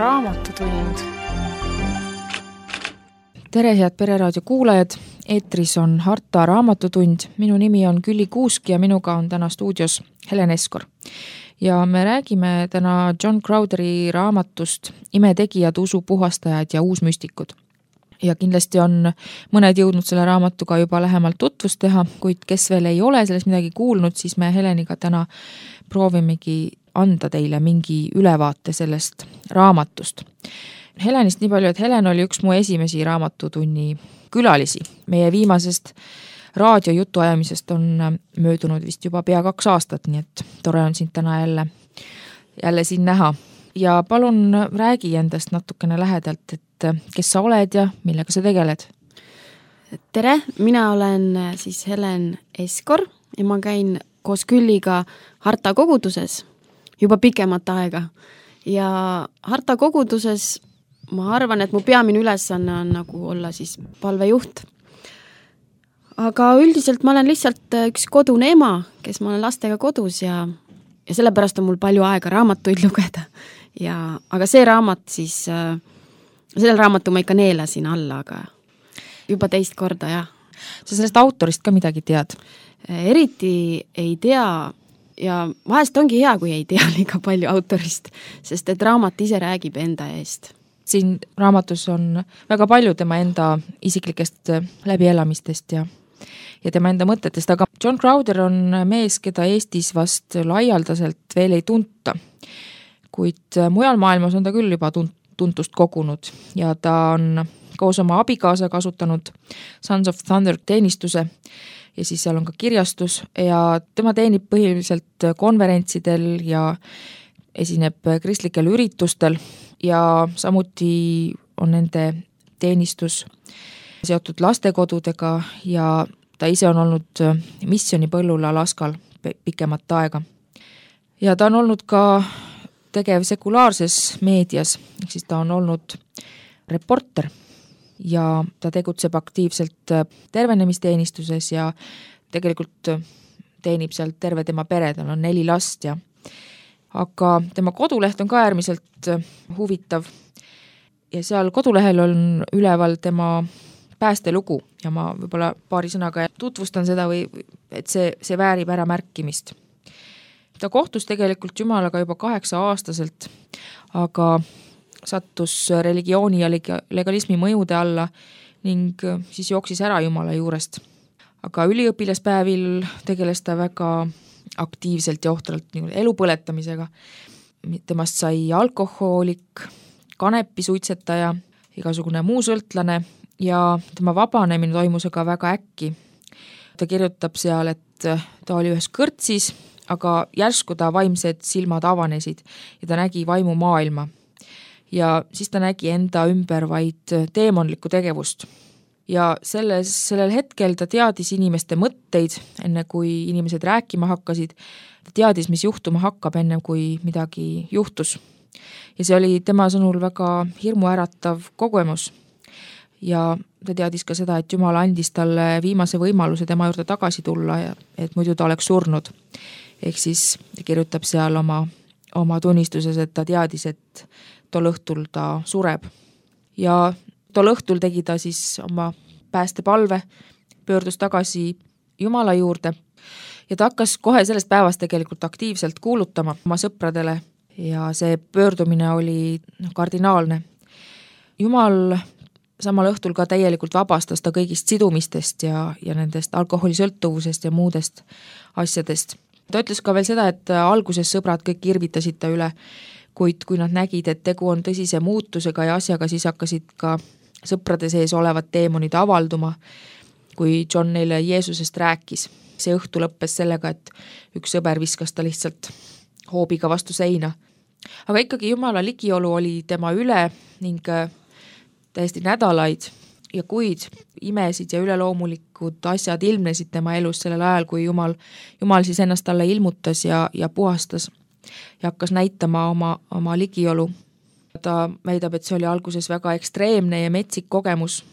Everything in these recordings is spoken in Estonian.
Raamatutund. Tere, head Pereraadio kuulajad! Eetris on Harta Raamatutund. Minu nimi on Külli Kuusk ja minuga on täna stuudios Helen Eskor. Ja me räägime täna John Crowtheri raamatust Imetegijad, usupuhastajad ja uusmüstikud. Ja kindlasti on mõned jõudnud selle raamatuga juba lähemalt tutvust teha, kuid kes veel ei ole sellest midagi kuulnud, siis me Heleniga täna proovimegi anda teile mingi ülevaate sellest raamatust. Helenist nii palju, et Helen oli üks mu esimesi raamatutunni külalisi. Meie viimasest raadiojutuajamisest on möödunud vist juba pea 2 aastat, nii et tore on sind täna jälle siin näha. Ja palun räägi endast natukene lähedalt, et kes sa oled ja millega sa tegeled? Tere, mina olen siis Helen Eskor ja ma käin koos Külliga Harta koguduses juba pikemat aega. Ja Harta koguduses ma arvan, et mu peamine ülesanne on nagu olla siis palvejuht. Aga üldiselt ma olen lihtsalt üks kodune ema, kes ma olen lastega kodus ja sellepärast on mul palju aega raamatuid lugeda. Aga see raamat siis, selle raamatu ma ikka neelasin alla, aga juba 2 korda, jah. Sa sellest autorist ka midagi tead? Eriti ei tea ja vahest ongi hea, kui ei tea liiga palju autorist, sest et raamat ise räägib enda eest. Siin raamatus on väga palju tema enda isiklikest läbielamistest ja tema enda mõtetest, aga John Crowther on mees, keda Eestis vast laialdaselt veel ei tunta, kuid mujal maailmas on ta küll juba tuntust kogunud ja ta on koos oma abikaasa kasutanud Sons of Thunder teenistuse ja siis seal on ka kirjastus ja tema teenib põhiliselt konverentsidel ja esineb kristlikel üritustel ja samuti on nende teenistus seotud lastekodudega ja ta ise on olnud missionipõllul Alaskal pikemat aega. Ja ta on olnud ka tegev sekulaarses meedias, siis ta on olnud reporter ja ta tegutseb aktiivselt tervenemisteenistuses ja tegelikult teenib seal terve tema pere, tal on 4 last ja aga tema koduleht on ka äärmiselt huvitav ja seal kodulehel on üleval tema päästelugu ja ma võib-olla paari sõnaga tutvustan seda või et see väärib ära märkimist. Ta kohtus tegelikult Jumalaga juba 8-aastaselt, aga sattus religiooni ja legalismi mõjude alla ning siis jooksis ära Jumala juurest. Aga üliõpilaspäevil tegeles ta väga aktiivselt ja ohtralt elu põletamisega. Temast sai alkohoolik, kanepisuitsetaja, igasugune muu sõltlane ja tema vabanemine toimus aga väga äkki. Ta kirjutab seal, et ta oli ühes kõrtsis, aga järsku ta vaimsed silmad avanesid ja ta nägi vaimu maailma. Ja siis ta nägi enda ümber vaid teemonlikku tegevust. Ja sellel hetkel ta teadis inimeste mõtteid, enne kui inimesed rääkima hakkasid. Ta teadis, mis juhtuma hakkab, enne kui midagi juhtus. Ja see oli tema sõnul väga hirmuäratav kogemus. Ja ta teadis ka seda, et Jumal andis talle viimase võimaluse tema juurde tagasi tulla, et muidu ta oleks surnud. Ehk siis ta kirjutab seal oma tunnistuses, et ta teadis, et tol õhtul ta sureb. Ja tol õhtul tegi ta siis oma päästepalve, pöördus tagasi Jumala juurde ja ta hakkas kohe sellest päevast tegelikult aktiivselt kuulutama oma sõpradele ja see pöördumine oli kardinaalne. Jumal samal õhtul ka täielikult vabastas ta kõigist sidumistest ja nendest alkoholisõltuvusest ja muudest asjadest. Ta ütles ka veel seda, et alguses sõbrad kõik irvitasid ta üle, kuid kui nad nägid, et tegu on tõsise muutusega ja asjaga, siis hakkasid ka sõprade sees olevad teemonid avalduma, kui John neile Jeesusest rääkis. See õhtu lõppes sellega, et üks sõber viskas ta lihtsalt hoobiga vastu seina. Aga ikkagi Jumala ligiolu oli tema üle ning täiesti nädalaid ja kuid imesid ja üleloomulikud asjad ilmnesid tema elus sellel ajal, kui Jumal siis ennast talle ilmutas ja puhastas ja hakkas näitama oma ligiolu. Ta väidab, et see oli alguses väga ekstreemne ja metsik kogemus,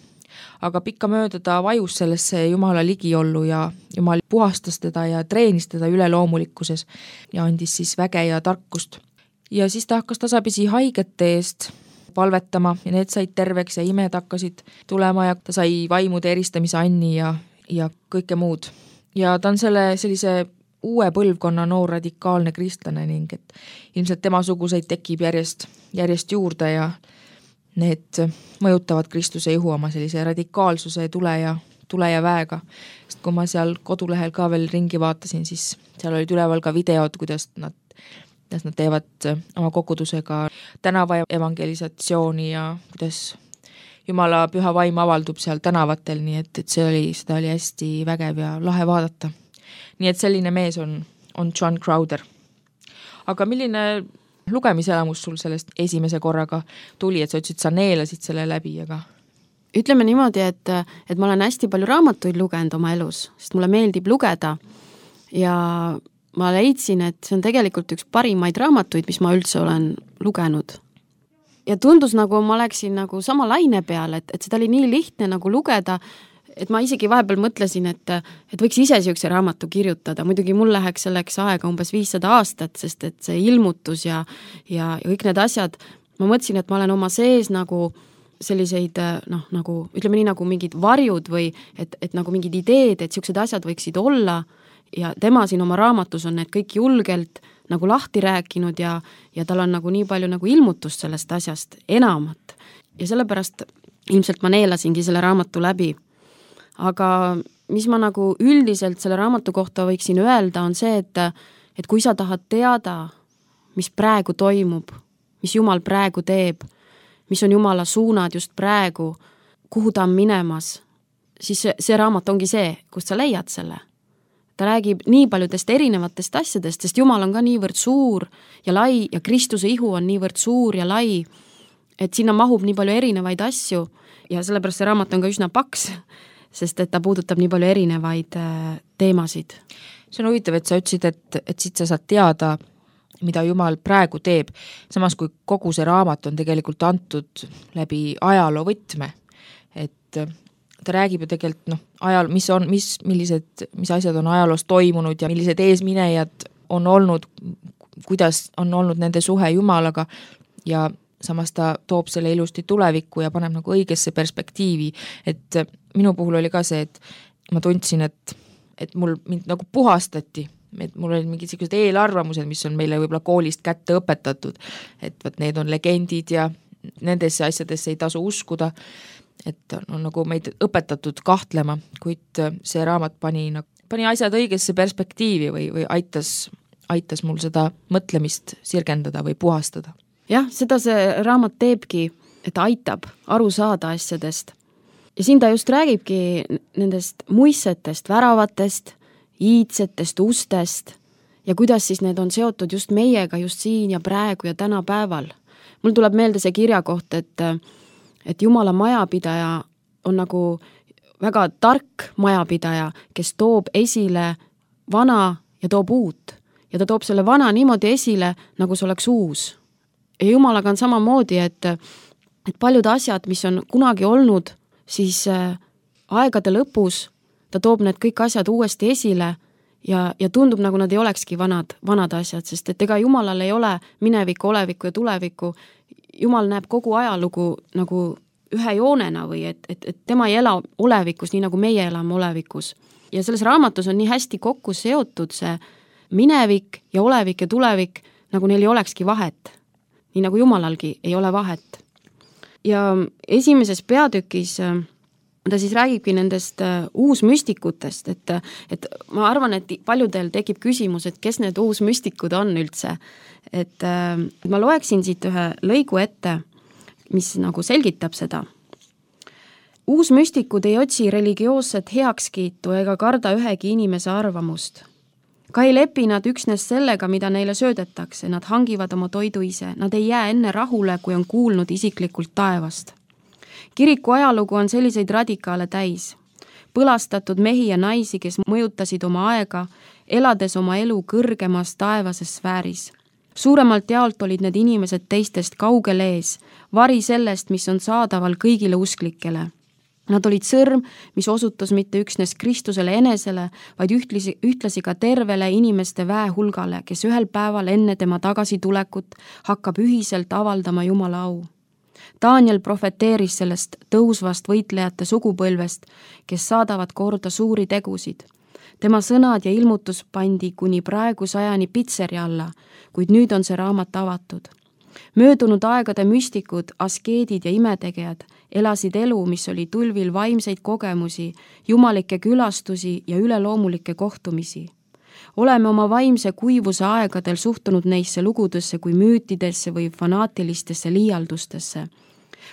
aga pikkamööda ta vajus sellesse Jumala ligiollu ja Jumal puhastas teda ja treenis teda üleloomulikkuses ja andis siis väge ja tarkust. ja siis ta hakkas tasapisi haigete eest palvetama ja need said terveks ja imed hakkasid tulema ja ta sai vaimude eristamise anni ja kõike muud. Ja ta on sellise uue põlvkonna noor radikaalne kristlane ning et ilmselt temasuguseid tekib järjest juurde ja need mõjutavad Kristuse ihu oma sellise radikaalsuse tule ja väega. Sest kui ma seal kodulehel ka veel ringi vaatasin, siis seal olid üleval ka videod, kuidas nad teevad oma kogudusega tänava evangelisatsiooni ja kuidas Jumala püha vaim avaldub seal tänavatel, nii et seda oli hästi vägev ja lahe vaadata. Nii et selline mees on John Crowder. Aga milline lugemiselamus sul sellest esimese korraga tuli, et sa ütlesid, sa neelasid selle läbi, aga... Ütleme niimoodi, et ma olen hästi palju raamatuid lugenud oma elus, sest mulle meeldib lugeda ja ma leidsin, et see on tegelikult üks parimaid raamatuid, mis ma üldse olen lugenud. Ja tundus nagu ma oleksin nagu sama laine peal, et seda oli nii lihtne nagu lugeda, et ma isegi vahepeal mõtlesin, et võiks ise siukse raamatu kirjutada. Muidugi mul läheks selleks aega umbes 500 aastat, sest et see ilmutus ja kõik need asjad, ma mõtlesin, et ma olen oma sees nagu selliseid, nagu ütleme nii nagu mingid varjud või et nagu mingid ideed, et siuksed asjad võiksid olla ja tema siin oma raamatus on need kõik julgelt nagu lahti rääkinud ja tal on nagu nii palju nagu ilmutust sellest asjast enamat. Ja sellepärast ilmselt ma neelasingi selle raamatu läbi. Aga mis ma nagu üldiselt selle raamatu kohta võiksin öelda, on see, et kui sa tahad teada, mis praegu toimub, mis Jumal praegu teeb, mis on Jumala suunad just praegu, kuhu ta on minemas, siis see raamat ongi see, kust sa leiad selle. Ta räägib nii paljudest erinevatest asjadest, sest Jumal on ka niivõrd suur ja lai ja Kristuse ihu on niivõrd suur ja lai, et sinna mahub nii palju erinevaid asju ja sellepärast see raamat on ka üsna paks, sest et ta puudutab nii palju erinevaid teemasid. See on huvitav, et sa ütlesid, et siit sa saad teada, mida Jumal praegu teeb, samas kui kogu see raamat on tegelikult antud läbi ajaloo võtme, et ta räägib ju tegelikult mis asjad on ajaloos toimunud ja millised eesminejad on olnud, kuidas on olnud nende suhe Jumalaga ja samas ta toob selle ilusti tulevikku ja paneb nagu õigesse perspektiivi, et minu puhul oli ka see, et ma tundsin, et mind nagu puhastati, et mul olid mingid sellised eelarvamused, mis on meile võib-olla koolist kätte õpetatud, et võt need on legendid ja nendesse asjadesse ei tasu uskuda, et on nagu meid õpetatud kahtlema, kuid see raamat pani asjad õigesse perspektiivi või aitas mul seda mõtlemist sirgendada või puhastada. Jah, seda see raamat teebki, et aitab aru saada asjadest. Ja siin ta just räägibki nendest muissetest, väravatest, iidsetest, ustest ja kuidas siis need on seotud just meiega just siin ja praegu ja tänapäeval. Mul tuleb meelde see kirja koht, et Jumala majapidaja on nagu väga tark majapidaja, kes toob esile vana ja toob uut. Ja ta toob selle vana niimoodi esile, nagu see oleks uus. Ja Jumalaga on samamoodi, et paljud asjad, mis on kunagi olnud, siis aegade lõpus ta toob need kõik asjad uuesti esile ja tundub, nagu nad ei olekski vanad asjad, sest et ega Jumalal ei ole minevikku, olevikku ja tulevikku. Jumal näeb kogu ajalugu nagu ühe joonena või et tema ei ela olevikus, nii nagu meie elame olevikus. Ja selles raamatus on nii hästi kokku seotud see minevik ja olevik ja tulevik, nagu neil ei olekski vahet. Nii nagu Jumalalgi ei ole vahet. Ja esimeses peatükis ta siis räägibki nendest uusmüstikutest, et ma arvan, et paljudel tekib küsimus, et kes need uusmüstikud on üldse. Et ma loeksin siit ühe lõigu ette, mis nagu selgitab seda. Uusmüstikud ei otsi religioosset heakskiitu ega karda ühegi inimese arvamust. Ka ei lepi nad üksnes sellega, mida neile söödetakse, nad hangivad oma toidu ise, nad ei jää enne rahule, kui on kuulnud isiklikult taevast. Kiriku ajalugu on selliseid radikaale täis. Põlastatud mehi ja naisi, kes mõjutasid oma aega, elades oma elu kõrgemas taevases sfääris. Suuremalt jaolt olid need inimesed teistest kaugel ees, vari sellest, mis on saadaval kõigile usklikele. Nad olid sõrm, mis osutas mitte üksnes Kristusele enesele, vaid ühtlasi ka tervele inimeste väehulgale, kes ühel päeval enne tema tagasitulekut hakkab ühiselt avaldama Jumala au. Daniel profeteeris sellest tõusvast võitlejate sugupõlvest, kes saadavad korda suuri tegusid. Tema sõnad ja ilmutus pandi kuni praegu sajani pitseri alla, kuid nüüd on see raamat avatud. Möödunud aegade müstikud, askeedid ja imetegijad elasid elu, mis oli tulvil vaimseid kogemusi, jumalikke külastusi ja üleloomulikke kohtumisi. Oleme oma vaimse kuivuse aegadel suhtunud neisse lugudesse kui müütidesse või fanaatilistesse liialdustesse.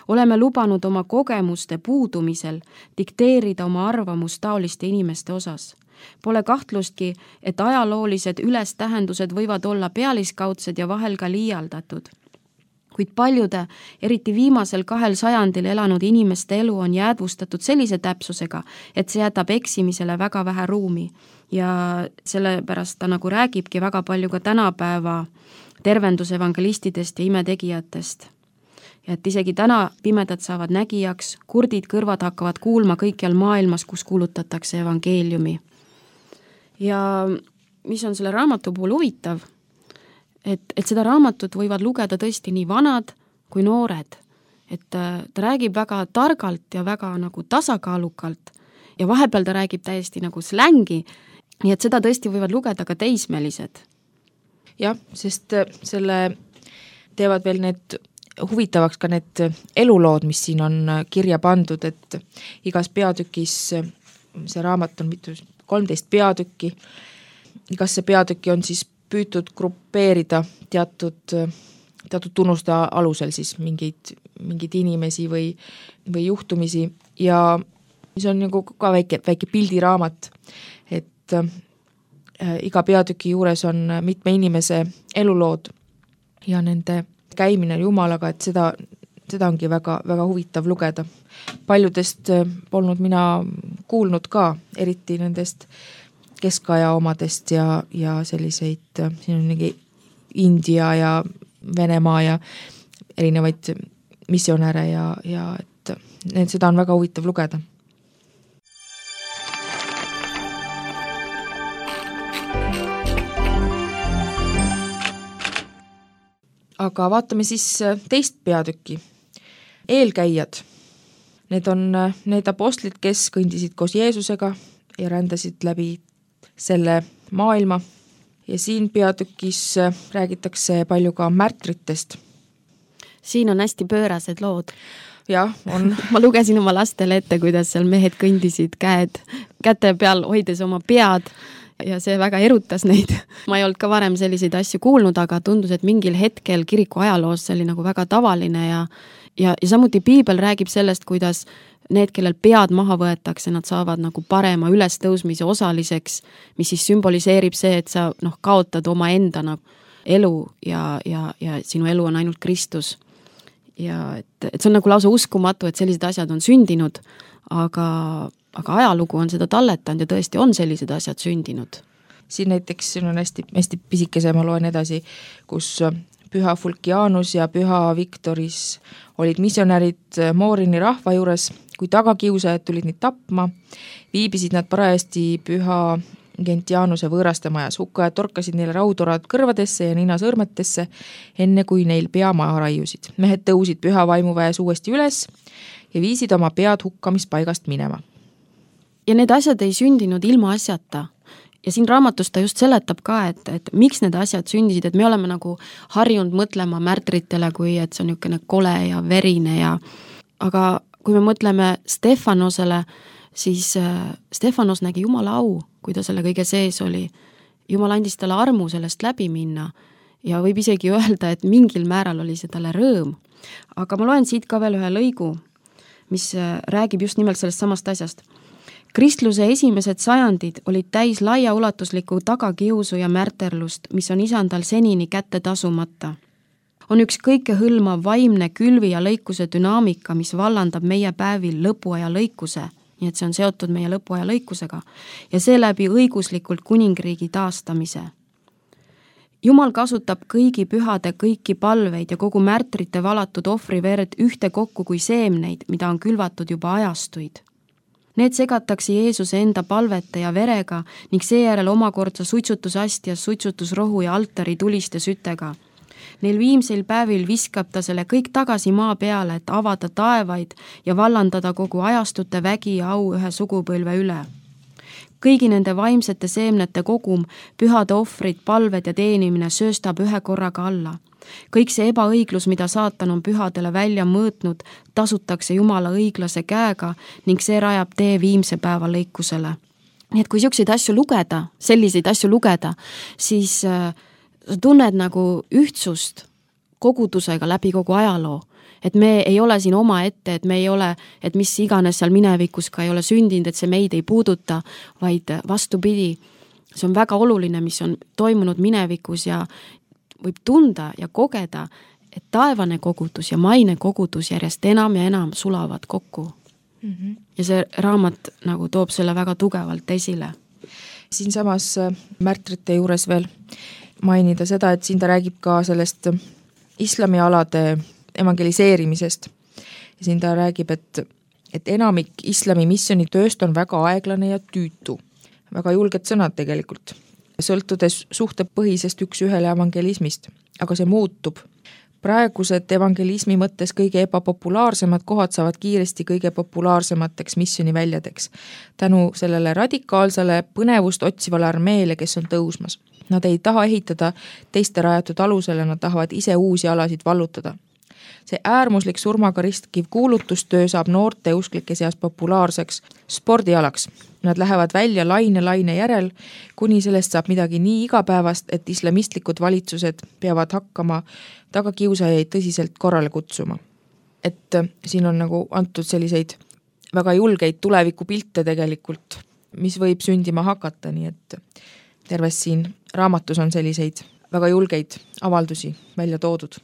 Oleme lubanud oma kogemuste puudumisel dikteerida oma arvamust taoliste inimeste osas. Pole kahtlustki, et ajaloolised ülestähendused võivad olla pealiskaudsed ja vahel ka liialdatud. Kuid paljude, eriti viimasel 2 sajandil elanud inimeste elu on jäädvustatud sellise täpsusega, et see jätab eksimisele väga vähe ruumi. Ja sellepärast ta nagu räägibki väga palju ka tänapäeva tervendusevangelistidest ja imetegijatest. Ja et isegi täna pimedad saavad nägijaks, kurdid kõrvad hakkavad kuulma kõikjal maailmas, kus kuulutatakse evangeeliumi. Ja mis on selle raamatu puhul huvitav, et seda raamatut võivad lugeda tõesti nii vanad kui noored. Et ta räägib väga targalt ja väga nagu tasakaalukalt ja vahepeal ta räägib täiesti nagu slängi, nii et seda tõesti võivad lugeda ka teismelised. Jah, sest selle teevad veel need huvitavaks ka need elulood, mis siin on kirja pandud, et igas peatükis, see raamat on 13 peatükki, igasse peatükki on siis püütud grupeerida teatud tunnuste alusel siis mingeid inimesi või juhtumisi ja mis on nagu ka väike pildiraamat, et iga peatüki juures on mitme inimese elulood ja nende käimine Jumalaga, et seda ongi väga, väga huvitav lugeda. Paljudest polnud mina kuulnud ka, eriti nendest keskaja omadest ja selliseid, siin on mingi India ja Venemaa ja erinevaid missionäre ja et seda on väga huvitav lugeda. Aga vaatame siis teist peatükki. Eelkäijad. Need on need apostlid, kes kõndisid koos Jeesusega ja rändasid läbi selle maailma. Ja siin peatükis räägitakse palju ka märtritest. Siin on hästi pöörased lood. Jah, on. Ma lugesin oma lastele ette, kuidas seal mehed kõndisid käte peal, hoides oma pead ja see väga erutas neid. Ma ei olnud ka varem selliseid asju kuulnud, aga tundus, et mingil hetkel kiriku ajaloos see oli nagu väga tavaline ja samuti piibel räägib sellest, kuidas need, kellel pead maha võetakse, nad saavad nagu parema ülestõusmise osaliseks, mis siis sümboliseerib see, et sa kaotad oma enda elu ja sinu elu on ainult Kristus. Ja et see on nagu lausa uskumatu, et sellised asjad on sündinud, aga ajalugu on seda talletanud ja tõesti on sellised asjad sündinud. Siin näiteks siin on hästi pisikese, ma loen edasi, kus Püha Fulkianus ja Püha Viktoris olid missionärid Moorini rahva juures, kui tagakiusajad tulid neid tapma, viibisid nad parajasti Püha Gentianuse võõraste majas, hukkajad torkasid neile raudorad kõrvadesse ja ninasõrmetesse, enne kui neil pea maha raiusid. Mehed tõusid Püha vaimuväes uuesti üles ja viisid oma pead hukkamispaigast minema. Ja need asjad ei sündinud ilma asjata. Ja siin raamatus ta just seletab ka, et miks need asjad sündisid, et me oleme nagu harjunud mõtlema märtritele, kui et see on niisugune kole ja verine aga kui me mõtleme Stefanosele, siis Stefanos nägi Jumala au, kui ta selle kõige sees oli. Jumal andis talle armu sellest läbi minna ja võib isegi öelda, et mingil määral oli see talle rõõm. Aga ma loen siit ka veel ühe lõigu, mis räägib just nimelt sellest samast asjast. Kristluse esimesed sajandid olid täis laiaulatuslikku tagakiusu ja märterlust, mis on isandal senini kätte tasumata. On üks kõikehõlmav vaimne külvi ja lõikuse dünaamika, mis vallandab meie päevil lõpuaja lõikuse, nii et see on seotud meie lõpuaja lõikusega, ja seeläbi õiguslikult kuningriigi taastamise. Jumal kasutab kõigi pühade kõiki palveid ja kogu märtrite valatud ohvriverd ühte kokku kui seemneid, mida on külvatud juba ajastuid. Need segatakse Jeesuse enda palvete ja verega ning seejärel omakorda suitsutusastjas suitsutusrohu ja altari tuliste sütega. Neil viimseil päevil viskab ta selle kõik tagasi maa peale, et avada taevaid ja vallandada kogu ajastute vägi ja au ühe sugupõlve üle. Kõigi nende vaimsete seemnete kogum, pühade ohvrid, palved ja teenimine sööstab ühe korraga alla. Kõik see ebaõiglus, mida saatan on pühadele välja mõõtnud, tasutakse Jumala õiglase käega ning see rajab tee viimse päeva lõikusele. Nii et kui selliseid asju lugeda, siis sa tunned nagu ühtsust kogudusega läbi kogu ajaloo. Et me ei ole siin oma ette, et me ei ole, et mis iganes seal minevikus ka ei ole sündinud, et see meid ei puuduta, vaid vastupidi, see on väga oluline, mis on toimunud minevikus ja võib tunda ja kogeda, et taevane kogudus ja maine kogudus järjest enam ja enam sulavad kokku. Ja see raamat nagu toob selle väga tugevalt esile. Siin samas märtrite juures veel mainida seda, et siin ta räägib ka sellest islamialade evangeliseerimisest. Ja siin ta räägib, et enamik islami missionitööst on väga aeglane ja tüütu. Väga julged sõnad tegelikult. Sõltudes suhtepõhisest üks ühele evangelismist, aga see muutub. Praegused evangelismi mõttes kõige ebapopulaarsemad kohad saavad kiiresti kõige populaarsemateks missioniväljadeks. Tänu sellele radikaalsele põnevust otsivale armeele, kes on tõusmas. Nad ei taha ehitada teiste rajatud alusele, nad tahavad ise uusi alasid vallutada. See äärmuslik surmaga ristkiv kuulutustöö saab noorte usklike seas populaarseks spordialaks. Nad lähevad välja laine järel, kuni sellest saab midagi nii igapäevast, et islamistlikud valitsused peavad hakkama tagakiusajaid tõsiselt korrale kutsuma. Et siin on nagu antud selliseid väga julgeid tulevikupilte tegelikult, mis võib sündima hakata, nii et terves siin raamatus on selliseid väga julgeid avaldusi välja toodud.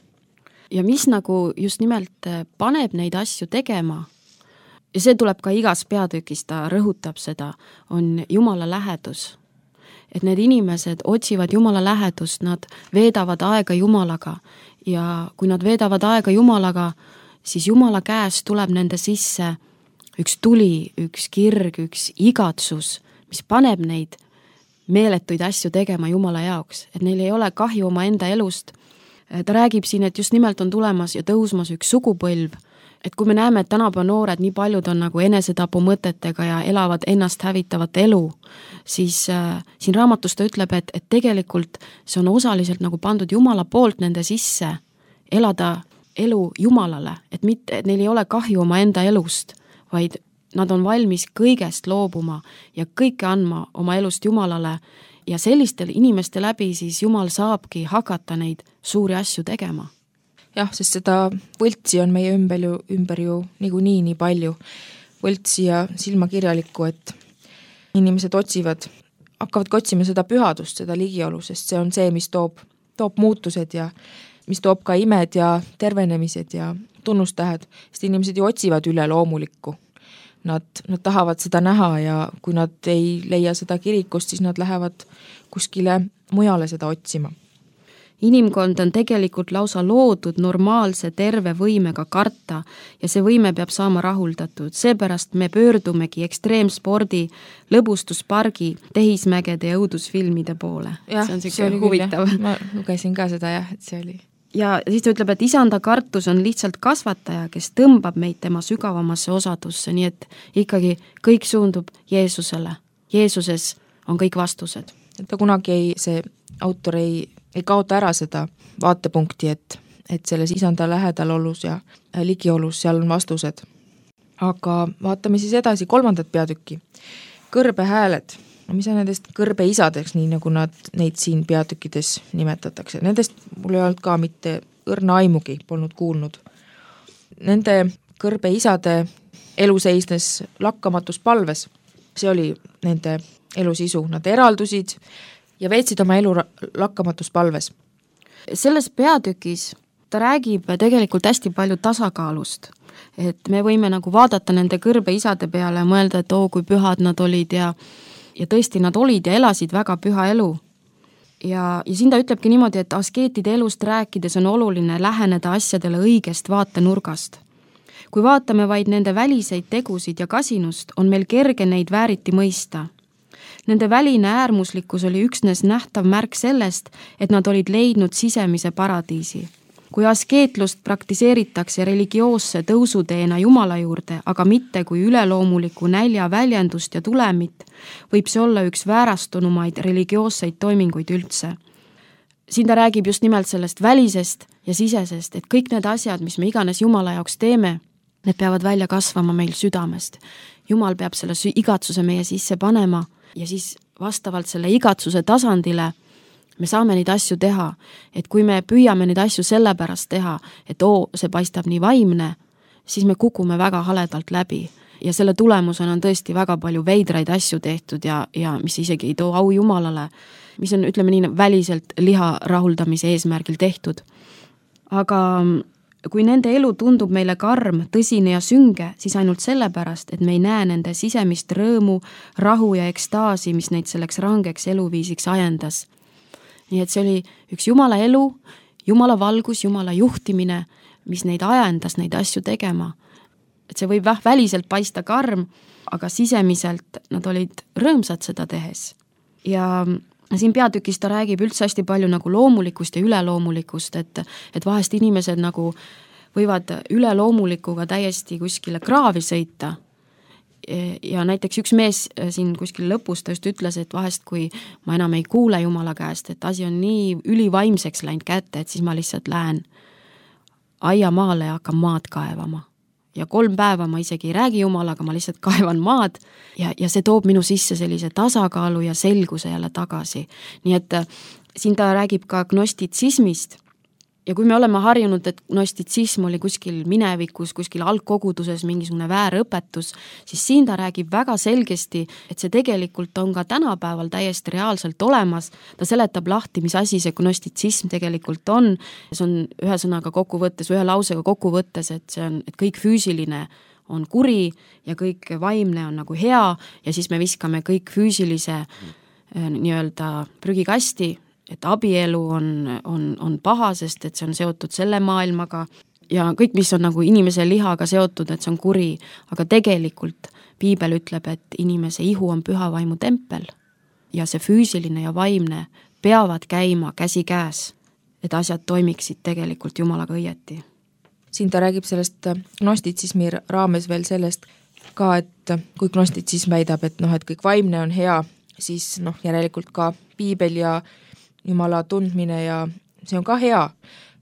Ja mis nagu just nimelt paneb neid asju tegema, ja see tuleb ka igas peatükis, ta rõhutab seda, on Jumala lähedus. Et need inimesed otsivad Jumala lähedust, nad veedavad aega Jumalaga ja kui nad veedavad aega Jumalaga, siis Jumala käest tuleb nende sisse üks tuli, üks kirg, üks igatsus, mis paneb neid meeletuid asju tegema Jumala jaoks, et neil ei ole kahju oma enda elust. Ta räägib siin, et just nimelt on tulemas ja tõusmas üks sugupõlv, et kui me näeme, et tänapäeva noored nii paljud on nagu enesetapu mõtetega ja elavad ennast hävitavat elu, siis siin raamatus ta ütleb, et tegelikult see on osaliselt nagu pandud Jumala poolt nende sisse elada elu Jumalale, et neil ei ole kahju oma enda elust, vaid nad on valmis kõigest loobuma ja kõike andma oma elust Jumalale ja sellistel inimeste läbi siis Jumal saabki hakata neid suuri asju tegema. Jah, sest seda võltsi on meie ümber ju niikuinii nii palju. Võltsi ja silmakirjalikku, et inimesed hakkavad otsima seda pühadust, seda ligiolu, sest see on see, mis toob muutused ja mis toob ka imed ja tervenemised ja tunnustähed, sest inimesed ju otsivad üle loomulikku. Nad tahavad seda näha ja kui nad ei leia seda kirikust, siis nad lähevad kuskile mujale seda otsima. Inimkond on tegelikult lausa loodud normaalse terve võimega karta ja see võime peab saama rahuldatud. Seepärast me pöördumegi ekstreemspordi, lõbustuspargi, tehismägede ja õudusfilmide poole. Ja, see on huvitav. Ma lugesin ka seda, et see oli. Ja siis ta ütleb, et isanda kartus on lihtsalt kasvataja, kes tõmbab meid tema sügavamasse osadusse, nii et ikkagi kõik suundub Jeesusele. Jeesuses on kõik vastused. Et ta kunagi see autor ei kaota ära seda vaatepunkti, et selles isanda lähedalolus ja ligiolus seal on vastused. Aga vaatame siis edasi 3. peatükki. Kõrbehääled. No mis on nendest kõrbeisadeks, nii nagu neid siin peatükkides nimetatakse. Nendest mul ei olnud ka mitte õrna aimugi, polnud kuulnud. Nende kõrbeisade elu seisnes lakkamatus palves. See oli nende elu sisu. Nad eraldusid ja veetsid oma elu lakkamatus palves. Selles peatükis ta räägib tegelikult hästi palju tasakaalust. Et me võime nagu vaadata nende kõrbeisade peale ja mõelda, et kui pühad nad olid ja tõesti nad olid ja elasid väga püha elu. Ja siin ta ütlebki niimoodi, et askeetide elust rääkides on oluline läheneda asjadele õigest vaatenurgast. kui vaatame vaid nende väliseid tegusid ja kasinust, on meil kerge neid vääriti mõista. Nende väline äärmuslikkus oli üksnes nähtav märk sellest, et nad olid leidnud sisemise paradiisi. Kui askeetlust praktiseeritakse religioosse tõusuteena Jumala juurde, aga mitte kui üleloomuliku nälja väljendust ja tulemit, võib see olla üks väärastunumaid religioosseid toiminguid üldse. Siin ta räägib just nimelt sellest välisest ja sisesest, et kõik need asjad, mis me iganes Jumala jaoks teeme, need peavad välja kasvama meil südamest. Jumal peab selle igatsuse meie sisse panema ja siis vastavalt selle igatsuse tasandile me saame neid asju teha, et kui me püüame neid asju sellepärast teha, et see paistab nii vaimne, siis me kukume väga haledalt läbi ja selle tulemusena on tõesti väga palju veidraid asju tehtud ja mis isegi ei too au Jumalale, mis on, ütleme nii, väliselt liha rahuldamise eesmärgil tehtud. Aga kui nende elu tundub meile karm, tõsine ja sünge, siis ainult sellepärast, et me ei näe nende sisemist rõõmu, rahu ja ekstaasi, mis neid selleks rangeks eluviisiks ajendas. Nii et see oli üks Jumala elu, Jumala valgus, Jumala juhtimine, mis neid ajendas neid asju tegema. Et see võib väliselt paista karm, aga sisemiselt nad olid rõõmsad seda tehes. Ja siin peatükis ta räägib üldse hästi palju nagu loomulikust ja üleloomulikust, et vahest inimesed nagu võivad üleloomulikuga täiesti kuskile kraavi sõita. Ja näiteks üks mees siin kuskil lõpus ta just ütles, et vahest kui ma enam ei kuule Jumala käest, et asi on nii ülivaimseks läinud kätte, et siis ma lihtsalt lähen aiamaale ja hakkan maad kaevama. Ja 3 päeva ma isegi ei räägi Jumalaga, ma lihtsalt kaevan maad ja see toob minu sisse sellise tasakaalu ja selguse jälle tagasi. Nii et siin ta räägib ka gnostitsismist ja kui me oleme harjunud, et gnostitsism oli kuskil minevikus, kuskil algkoguduses mingisugune väärõpetus, siis siin ta räägib väga selgesti, et see tegelikult on ka tänapäeval täiesti reaalselt olemas. Ta seletab lahti, mis asi see gnostitsism tegelikult on. See on ühe sõnaga kokkuvõttes, ühe lausega kokkuvõttes, et see on, et kõik füüsiline on kuri ja kõik vaimne on nagu hea ja siis me viskame kõik füüsilise nii-öelda prügikasti, et abielu on paha, sest et see on seotud selle maailmaga ja kõik, mis on nagu inimese lihaga seotud, et see on kuri, aga tegelikult Piibel ütleb, et inimese ihu on püha vaimu tempel ja see füüsiline ja vaimne peavad käima käsi käes, et asjad toimiksid tegelikult Jumalaga õieti. Siin ta räägib sellest gnostitsismi raames veel sellest ka, et kui gnostitsism väidab, et et kõik vaimne on hea, siis järelikult ka Piibel ja Jumala tundmine ja see on ka hea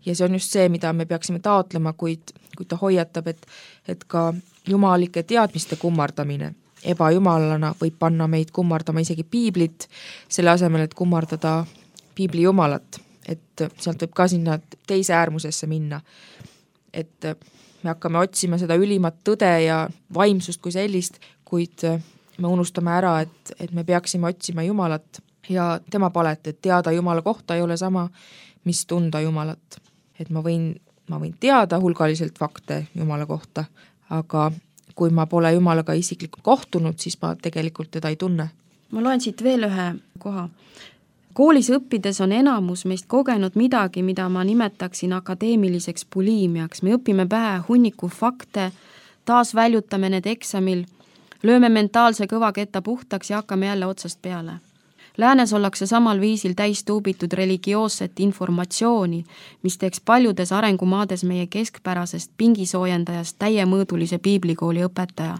ja see on just see, mida me peaksime taotlema, kuid ta hoiatab, et ka jumalike teadmiste kummardamine ebajumalana võib panna meid kummardama isegi Piiblit, selle asemel, et kummardada Piibli Jumalat, et sealt võib ka sinna teise äärmusesse minna, et me hakkame otsima seda ülimat tõde ja vaimsust kui sellist, kuid me unustame ära, et me peaksime otsima Jumalat ja tema palet, et teada Jumala kohta ei ole sama, mis tunda Jumalat. Et ma võin teada hulgaliselt fakte Jumala kohta, aga kui ma pole Jumalaga isiklikult kohtunud, siis ma tegelikult teda ei tunne. Ma loen siit veel ühe koha. Koolis õppides on enamus meist kogenud midagi, mida ma nimetaksin akadeemiliseks buliimiaks. Me õpime pähe hunniku fakte, taas väljutame need eksamil, lööme mentaalse kõvaketta puhtaks ja hakkame jälle otsast peale. Läänes ollakse samal viisil täistuubitud religioosset informatsiooni, mis teeks paljudes arengumaades meie keskpärasest pingisoojendajast täiemõõdulise piiblikooli õpetaja.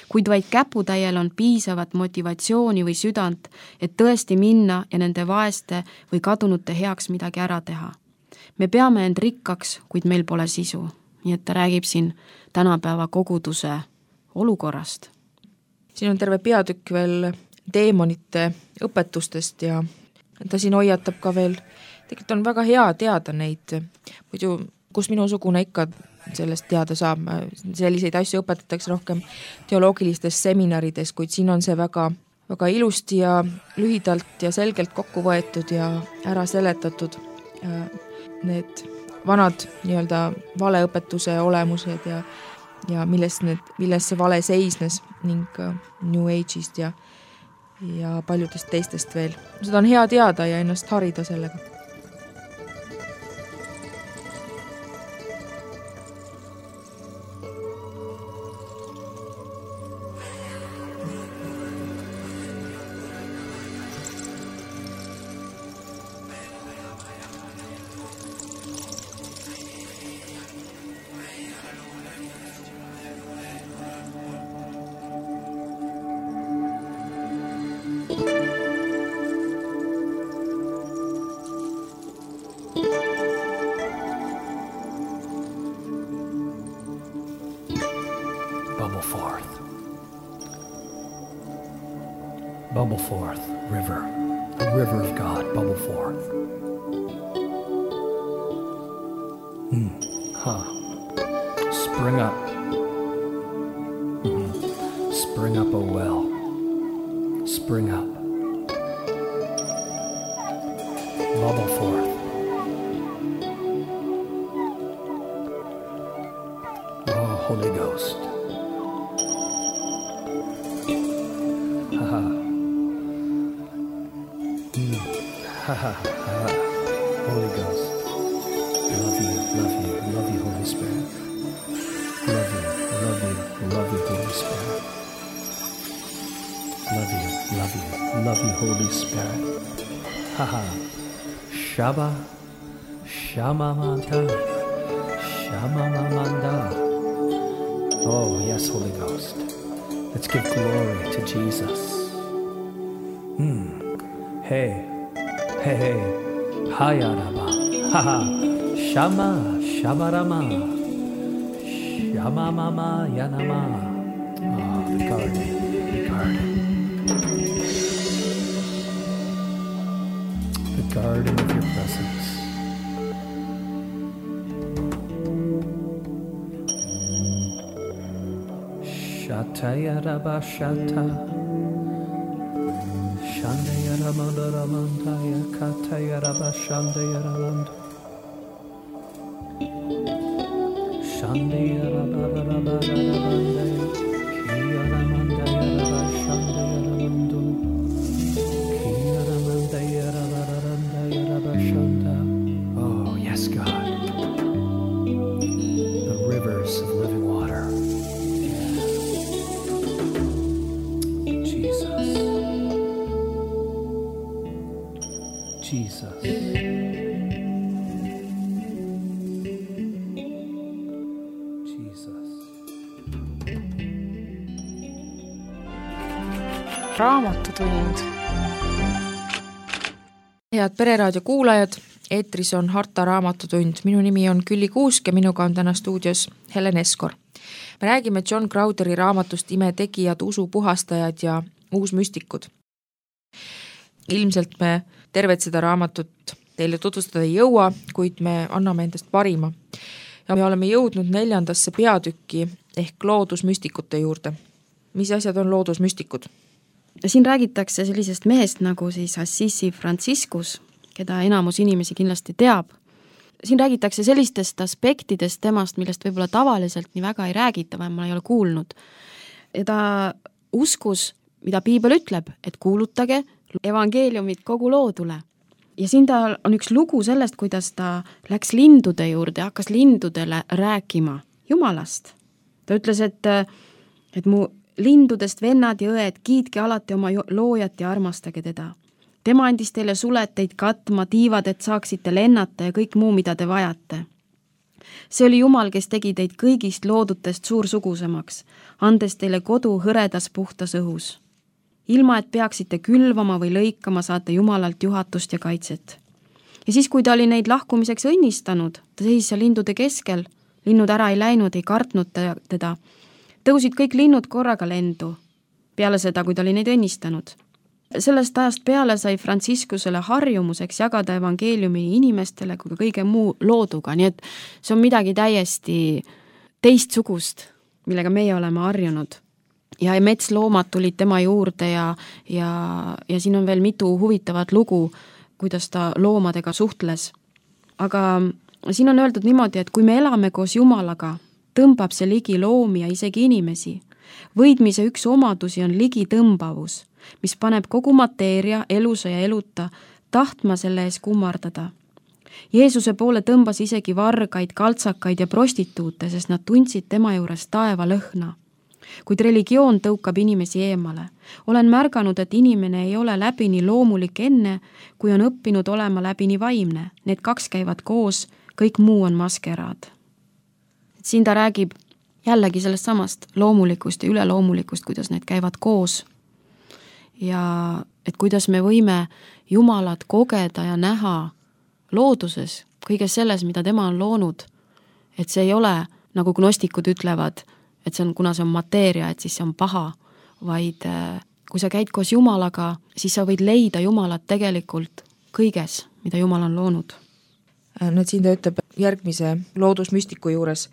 Kuid vaid käputäiel on piisavat motivatsiooni või südant, et tõesti minna ja nende vaeste või kadunute heaks midagi ära teha. Me peame end rikkaks, kuid meil pole sisu. Nii et ta räägib siin tänapäeva koguduse olukorrast. Siin on terve peatükk veel teemonite õpetustest ja ta siin hoiatab ka veel, tegelikult on väga hea teada neid, muidu kus minusugune ikka sellest teada saab, selliseid asju õpetatakse rohkem teoloogilistes seminarides, kuid siin on see väga, väga ilusti ja lühidalt ja selgelt kokku võetud ja ära seletatud need vanad nii-öelda valeõpetuse olemused ja milles see vale seisnes ning New Age'ist ja paljudest teistest veel. Seda on hea teada ja ennast harida sellega. Bubble forth, river. The river of God, bubble forth. Spring up. Spring up, oh well. Spring up. Bubble forth. Oh, Holy Ghost. Holy Ghost. Love you, Holy Spirit. Love you, Holy Spirit. Love you, Holy Spirit. Shaba, Shamamanta, Shamamamanda. Oh, yes, Holy Ghost. Let's give glory to Jesus. Hey, Hayaraba, Shama, Shabarama, Shamamama, Yanama. Oh, the garden. The garden of your presence. Shatayaraba Shata. Shandayaramandaramandaya Katayaraba Shandayaramandu. Shandayarabarabarabarabandaya Kiyaramandayaraba Shandayaramandu. Kiyaramandayarabarabandayaraba Shanda. Oh, yes, God. The rivers of living water. Jesus. Raamatutund. Head Pereraadio kuulajad, eetris on Harta Raamatutund. Minu nimi on Külli Kuusk ja minuga on täna stuudios Helen Eskor. Me räägime John Crowtheri raamatust Imetegijad, usupuhastajad ja uusmüstikud. Ilmselt me tervet seda raamatut teile tutvustada ei jõua, kuid me anname endast parima. Ja me oleme jõudnud 4. peatükki ehk loodusmüstikute juurde. Mis asjad on loodusmüstikud? Siin räägitakse sellisest mehest nagu siis Assisi Franciscus, keda enamus inimesi kindlasti teab. Siin räägitakse sellistest aspektidest temast, millest võib-olla tavaliselt nii väga ei räägita, või ma ei ole kuulnud. Ja ta uskus, mida Piibel ütleb, et kuulutage evangeeliumit kogu loodule. Ja siin tal on üks lugu sellest, kuidas ta läks lindude juurde ja hakkas lindudele rääkima Jumalast. Ta ütles, et mu lindudest vennad ja õed, kiitke alati oma loojat ja armastage teda. Tema andis teile suleteid katma, tiivad, et saaksite lennata ja kõik muu, mida te vajate. See oli Jumal, kes tegi teid kõigist loodutest suursugusemaks, andes teile kodu hõredas puhtas õhus. Ilma, et peaksite külvama või lõikama, saate Jumalalt juhatust ja kaitset. Ja siis, kui ta oli neid lahkumiseks õnnistanud, ta seisis seal lindude keskel, linnud ära ei läinud, ei kartnud teda, tõusid kõik linnud korraga lendu, peale seda, kui ta oli neid õnnistanud. Sellest ajast peale sai Franciscusele harjumuseks jagada evangeeliumi inimestele kui ka kõige muu looduga, nii et see on midagi täiesti teistsugust, millega meie oleme harjunud. Ja metsloomad tulid tema juurde ja siin on veel mitu huvitavat lugu, kuidas ta loomadega suhtles. Aga siin on öeldud niimoodi, et kui me elame koos Jumalaga, tõmbab see ligi loomi ja isegi inimesi. Võidmise üks omadusi on ligi tõmbavus, mis paneb kogu mateeria, elusa ja eluta, tahtma selle ees kummardada. Jeesuse poole tõmbas isegi vargaid, kaltsakaid ja prostituute, sest nad tundsid tema juures taeva lõhna. Kuid religioon tõukab inimesi eemale. Olen märganud, et inimene ei ole läbini loomulik enne, kui on õppinud olema läbini vaimne. Need kaks käivad koos, kõik muu on maskeraad. Siin ta räägib jällegi sellest samast loomulikust ja üleloomulikust, kuidas need käivad koos. Ja et kuidas me võime Jumalat kogeda ja näha looduses, kõiges selles, mida tema on loonud. Et see ei ole, nagu gnostikud ütlevad, et see on, kuna see on mateeria, et siis see on paha, vaid kui sa käid koos Jumalaga, siis sa võid leida Jumalat tegelikult kõiges, mida Jumal on loonud. Nüüd siin ta ütleb järgmise loodusmüstiku juures,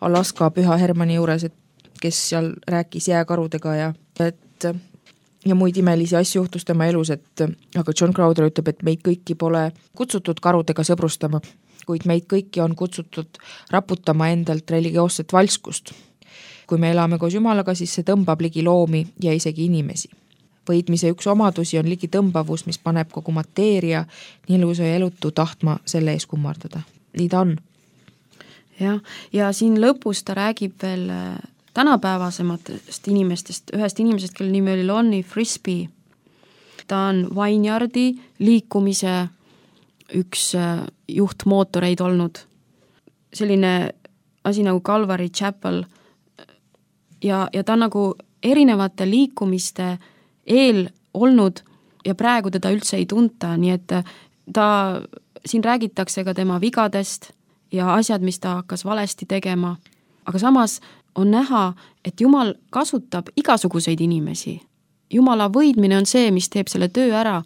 Alaska Püha Hermanni juures, et kes seal rääkis jääkarudega ja muid imelisi asju juhtus tema elus, aga John Crowther ütleb, et meid kõiki pole kutsutud karudega sõbrustama, kuid meid kõiki on kutsutud raputama endalt religioosset valskust. Kui me elame koos Jumalaga, siis see tõmbab ligi loomi ja isegi inimesi. Võidmise üks omadusi on ligi tõmbavus, mis paneb kogu mateeria nii ilusa ja elutu tahtma selle ees kummardada. Nii ta on. Ja siin lõpus ta räägib veel tänapäevasematest inimestest, ühest inimesest, kelle nimi oli Lonnie Frisbee. Ta on Vineyardi liikumise üks juhtmootoreid olnud. Selline asi nagu Calvary Chapel ja ta on nagu erinevate liikumiste eel olnud ja praegu teda üldse ei tunta, nii et ta, siin räägitakse ka tema vigadest ja asjad, mis ta hakkas valesti tegema, aga samas on näha, et Jumal kasutab igasuguseid inimesi. Jumala võidmine on see, mis teeb selle töö ära,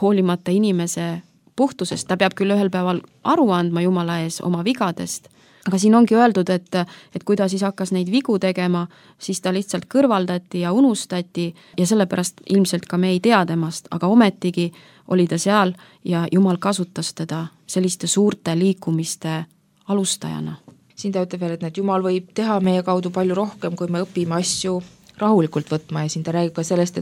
hoolimata inimese puhtusest. Ta peab küll ühel päeval aru andma Jumala ees oma vigadest, aga siin ongi öeldud, et kui ta siis hakkas neid vigu tegema, siis ta lihtsalt kõrvaldati ja unustati ja sellepärast ilmselt ka me ei tea temast, aga ometigi oli ta seal ja Jumal kasutas teda selliste suurte liikumiste alustajana. Siin ta ütleb veel, et Jumal võib teha meie kaudu palju rohkem, kui me õpime asju rahulikult võtma ja siin ta räägib ka sellest,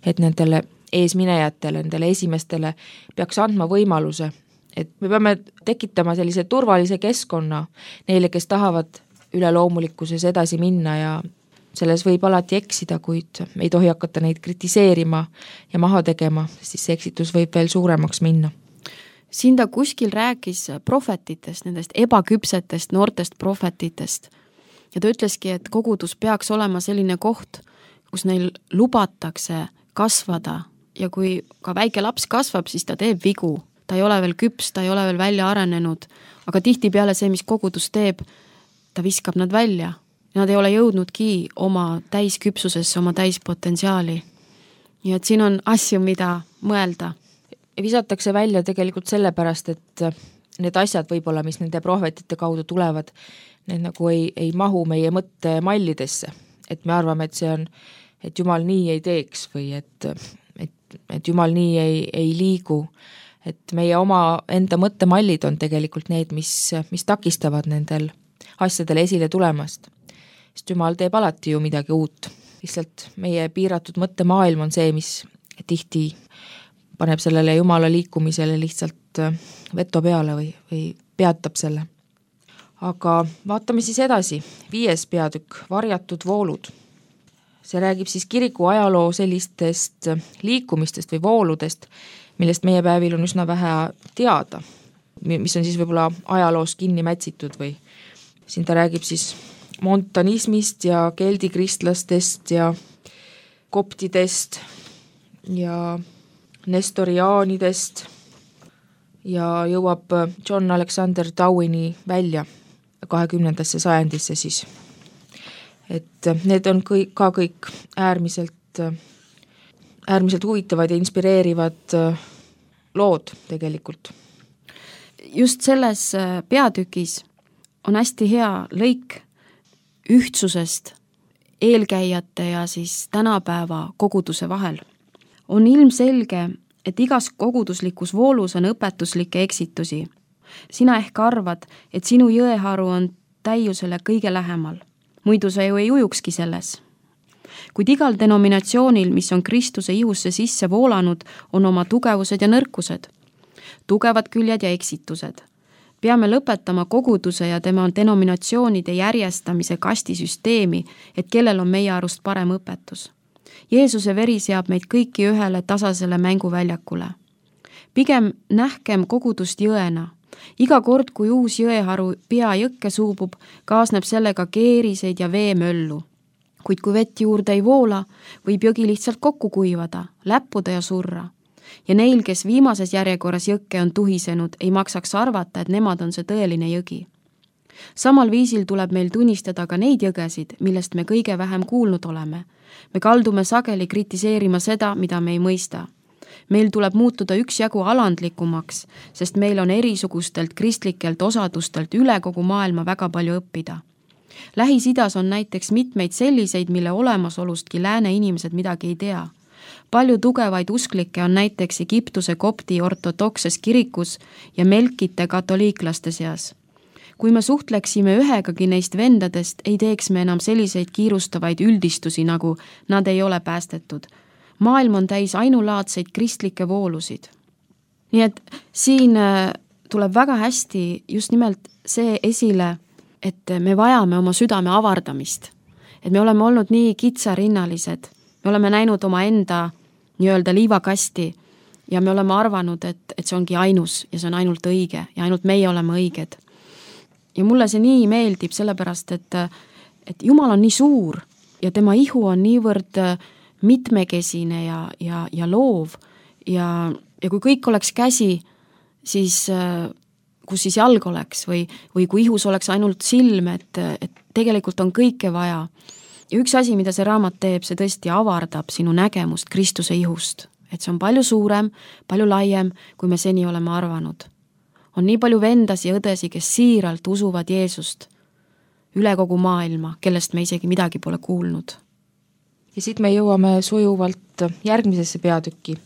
et nendele eesminejatele, nendele esimestele peaks andma võimaluse, et me peame tekitama sellise turvalise keskkonna neile, kes tahavad üleloomulikkuses edasi minna ja selles võib alati eksida, kuid me ei tohi hakata neid kritiseerima ja maha tegema, siis see eksitus võib veel suuremaks minna. Siin ta kuskil rääkis prohvetitest, nendest ebaküpsetest noortest prohvetitest ja ta ütleski, et kogudus peaks olema selline koht, kus neil lubatakse kasvada ja kui ka väike laps kasvab, siis ta teeb vigu. Ta ei ole veel küps, ta ei ole veel välja arenenud, aga tihtipeale see, mis kogudus teeb, ta viskab nad välja. Nad ei ole jõudnudki oma täisküpsusesse, oma täispotentsiaali. Nii et siin on asju, mida mõelda. Visatakse välja tegelikult sellepärast, et need asjad võib-olla, mis nende prohvetite kaudu tulevad, need nagu ei mahu meie mõttemallidesse. Et me arvame, et see on, et Jumal nii ei teeks või et Jumal nii ei liigu. Et meie oma enda mõttemallid on tegelikult need, mis takistavad nendel asjadel esile tulemast. Sest Jumal teeb alati ju midagi uut. Lihtsalt meie piiratud mõttemaailm on see, mis tihti paneb sellele Jumala liikumisele lihtsalt veto peale või peatab selle. Aga vaatame siis edasi. 5. peatükk, varjatud voolud. See räägib siis kiriku ajaloo sellistest liikumistest või vooludest, millest meie päevil on üsna vähe teada, mis on siis võib-olla ajaloos kinni mätsitud või siin ta räägib siis montanismist ja keldikristlastest ja koptidest ja nestoriaanidest ja jõuab John Alexander Dowini välja 20. sajandisse siis. Et need on kõik äärmiselt huvitavad ja inspireerivad lood tegelikult. Just selles peatükis on hästi hea lõik ühtsusest eelkäijate ja siis tänapäeva koguduse vahel. On ilmselge, et igas koguduslikus voolus on õpetuslikke eksitusi. Sina ehk arvad, et sinu jõeharu on täiusele kõige lähemal. Muidu sa ju ei ujukski selles. Kuid igal denominatsioonil, mis on Kristuse ihusse sisse voolanud, on oma tugevused ja nõrkused. Tugevad küljed ja eksitused. Peame lõpetama koguduse ja tema denominatsioonide järjestamise kastisüsteemi, et kellel on meie arust parem õpetus. Jeesuse veri seab meid kõiki ühele tasasele mänguväljakule. Pigem nähkem kogudust jõena. Iga kord, kui uus jõeharu pea jõkke suubub, kaasneb sellega keeriseid ja veemöllu. Kuid kui vett juurde ei voola, võib jõgi lihtsalt kokku kuivada, läppuda ja surra. Ja neil, kes viimases järjekorras jõkke on tuhisenud, ei maksaks arvata, et nemad on see tõeline jõgi. Samal viisil tuleb meil tunnistada ka neid jõgesid, millest me kõige vähem kuulnud oleme. Me kaldume sageli kritiseerima seda, mida me ei mõista. Meil tuleb muutuda üksjagu alandlikumaks, sest meil on erisugustelt kristlikelt osadustelt üle kogu maailma väga palju õppida. Lähis-Idas on näiteks mitmeid selliseid, mille olemasolustki lääne inimesed midagi ei tea. Palju tugevaid usklikke on näiteks Egiptuse kopti ortodokses kirikus ja melkite katoliiklaste seas. Kui me suhtleksime ühegagi neist vendadest, ei teeks me enam selliseid kiirustavaid üldistusi, nagu nad ei ole päästetud. Maailm on täis ainulaadseid kristlikke voolusid. Nii et siin tuleb väga hästi just nimelt see esile, et me vajame oma südame avardamist. Et me oleme olnud nii kitsarinnalised, me oleme näinud oma enda nii-öelda liivakasti ja me oleme arvanud, et see ongi ainus ja see on ainult õige ja ainult meie oleme õiged. Ja mulle see nii meeldib sellepärast, et Jumal on nii suur ja tema ihu on niivõrd mitmekesine ja loov ja kui kõik oleks käsi, siis kus siis jalg oleks või kui ihus oleks ainult silm, et tegelikult on kõike vaja. Ja üks asi, mida see raamat teeb, see tõesti avardab sinu nägemust Kristuse ihust, et see on palju suurem, palju laiem, kui me seni oleme arvanud. On nii palju vendasi ja õdesi, kes siiralt usuvad Jeesust üle kogu maailma, kellest me isegi midagi pole kuulnud. Ja siit me jõuame sujuvalt järgmisesse peatükki,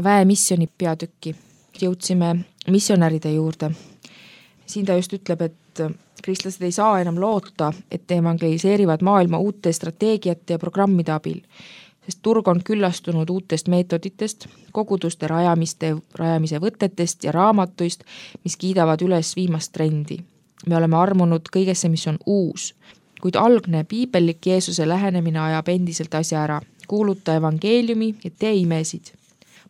väemissioni peatükki. Jõudsime missionäride juurde. Siin ta just ütleb, et kristlased ei saa enam loota, et evangeliseerivad maailma uute strateegiate ja programmide abil, sest turg on küllastunud uutest meetoditest, koguduste rajamise võtetest ja raamatuist, mis kiidavad üles viimast trendi. Me oleme armunud kõigesse, mis on uus, kuid algne piibellik Jeesuse lähenemine ajab endiselt asja ära. Kuuluta evangeeliumi ja tee imesid.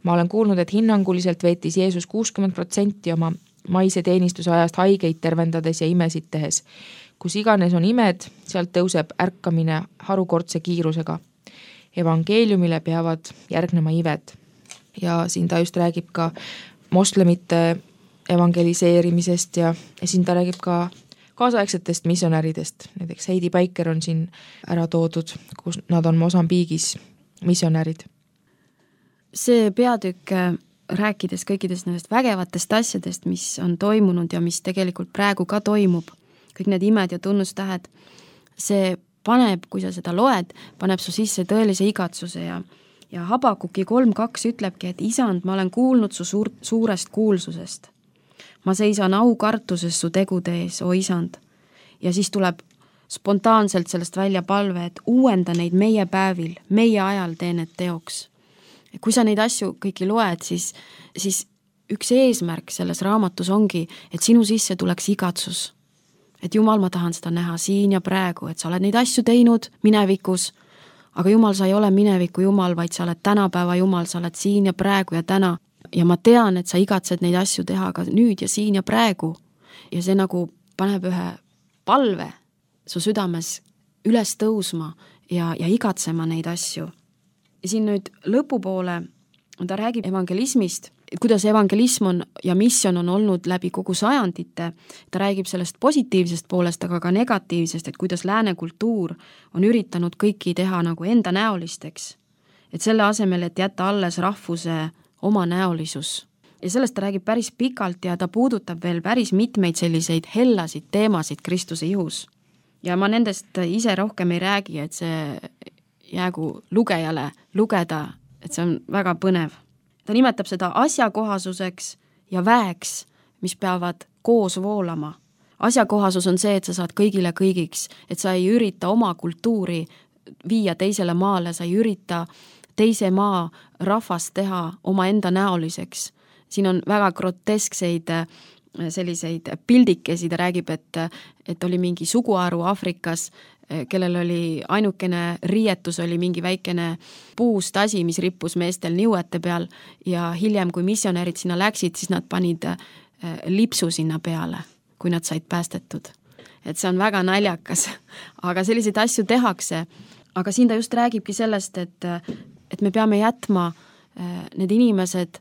Ma olen kuulnud, et hinnanguliselt veetis Jeesus 60% oma maise teenistuse ajast haigeid tervendades ja imesid tehes. Kus iganes on imed, sealt tõuseb ärkamine harukordse kiirusega. Evangeeliumile peavad järgnema ived. Ja siin ta just räägib ka moslemite evangeliseerimisest ja siin ta räägib ka kaasaegsetest missionäridest. Näiteks Heidi Baiker on siin ära toodud, kus nad on Mosambiigis missionärid. See peatükk, rääkides kõikidest nendest vägevatest asjadest, mis on toimunud ja mis tegelikult praegu ka toimub, kõik need imed ja tunnustähed, see paneb, kui sa seda loed, paneb su sisse tõelise igatsuse ja Habakuki 3.2 ütlebki, et isand, ma olen kuulnud su suurest kuulsusest. Ma seisan aukartuses su tegude ees, o isand. Ja siis tuleb spontaanselt sellest välja palve, et uuenda neid meie päevil, meie ajal tee need teoks. Kui sa neid asju kõiki loed, siis üks eesmärk selles raamatus ongi, et sinu sisse tuleks igatsus. Et Jumal, ma tahan seda näha siin ja praegu, et sa oled neid asju teinud minevikus, aga Jumal, sa ei ole mineviku Jumal, vaid sa oled tänapäeva Jumal, sa oled siin ja praegu ja täna. Ja ma tean, et sa igatsed neid asju teha ka nüüd ja siin ja praegu. Ja see nagu paneb ühe palve su südames üles tõusma ja igatsema neid asju. Ja siin nüüd lõpupoole ta räägib evangelismist, kuidas evangelism on ja missioon on olnud läbi kogu sajandite. Ta räägib sellest positiivsest poolest, aga ka negatiivsest, et kuidas lääne kultuur on üritanud kõiki teha nagu enda näolisteks. Et selle asemel, et jätta alles rahvuse oma näolisus. Ja sellest ta räägib päris pikalt ja ta puudutab veel päris mitmeid selliseid hellasid teemasid Kristuse ihus. Ja ma nendest ise rohkem ei räägi, et see jäägu lugejale lugeda, et see on väga põnev. Ta nimetab seda asjakohasuseks ja väeks, mis peavad koos voolama. Asjakohasus on see, et sa saad kõigile kõigiks, et sa ei ürita oma kultuuri viia teisele maale, sa ei ürita teise maa rahvast teha oma enda näoliseks. Siin on väga groteskseid selliseid pildikesi, ta räägib, et oli mingi suguharu Aafrikas, kellel oli ainukene riietus, oli mingi väikene puust asi, mis rippus meestel niuete peal ja hiljem, kui missionärid sinna läksid, siis nad panid lipsu sinna peale, kui nad said päästetud. Et see on väga naljakas, aga selliseid asju tehakse. Aga siin ta just räägibki sellest, et me peame jätma need inimesed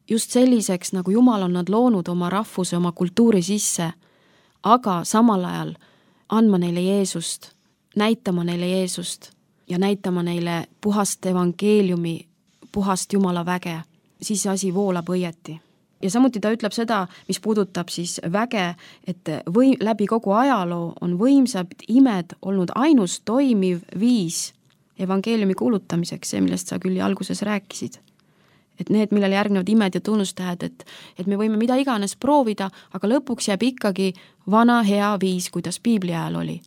just selliseks, nagu Jumal on nad loonud oma rahvuse, oma kultuuri sisse, aga samal ajal andma neile Jeesust, näitama neile Jeesust ja näitama neile puhast evangeeliumi, puhast Jumala väge, siis see asi voolab õieti. Ja samuti ta ütleb seda, mis puudutab siis väge, et läbi kogu ajaloo on võimsad imed olnud ainus toimiv viis evangeeliumi kuulutamiseks, see, millest sa küll alguses rääkisid. Et need, millele järgnevad imed ja tunnustähed, et me võime mida iganes proovida, aga lõpuks jääb ikkagi vana hea viis, kuidas piibli ajal oli,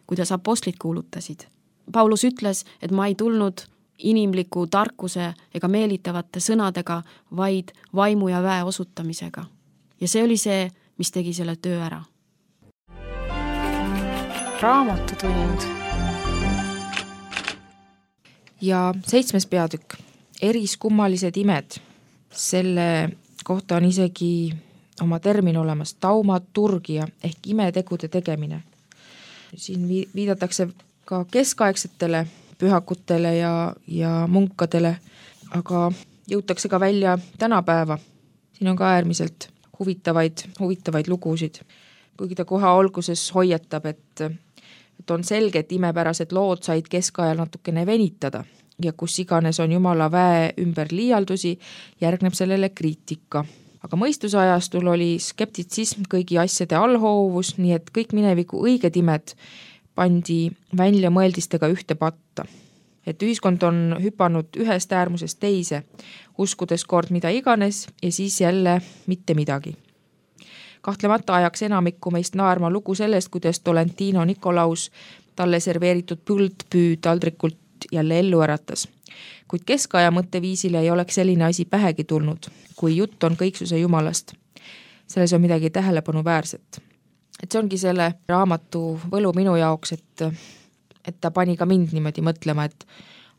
kuidas apostlid kuulutasid. Paulus ütles, et ma ei tulnud inimliku tarkuse ega meelitavate sõnadega, vaid vaimu ja väe osutamisega. Ja see oli see, mis tegi selle töö ära. Raamatutund. Ja 7. peatükk, eriskummalised imed. Selle kohta on isegi oma termin olemas, taumaturgia ehk imetegude tegemine. Siin viidatakse ka keskaegsetele pühakutele ja munkadele, aga jõutakse ka välja tänapäeva. Siin on ka äärmiselt huvitavaid lugusid. Kuigi ta kohe alguses hoiatab, et on selge, et imepärased lood said keskajal natukene venitada ja kus iganes on Jumala väe ümber liialdusi, järgneb sellele kriitika. Aga mõistuse ajastul oli skeptitsism kõigi asjade allhoovus, nii et kõik mineviku õiged imed pandi välja mõeldistega ühte patta. Et ühiskond on hüpanud ühest äärmusest teise, uskudes kord mida iganes ja siis jälle mitte midagi. Kahtlemata ajaks enamikku meist naerma lugu sellest, kuidas Tolentino Nikolaus talle serveeritud põldpüü taldrikult jälle ellu äratas. Kuid keskaja mõtteviisile ei oleks selline asi pähegi tulnud, kui jutt on kõiksuse Jumalast. Selles on midagi tähelepanuväärset. Et see ongi selle raamatu võlu minu jaoks, et ta pani ka mind niimoodi mõtlema, et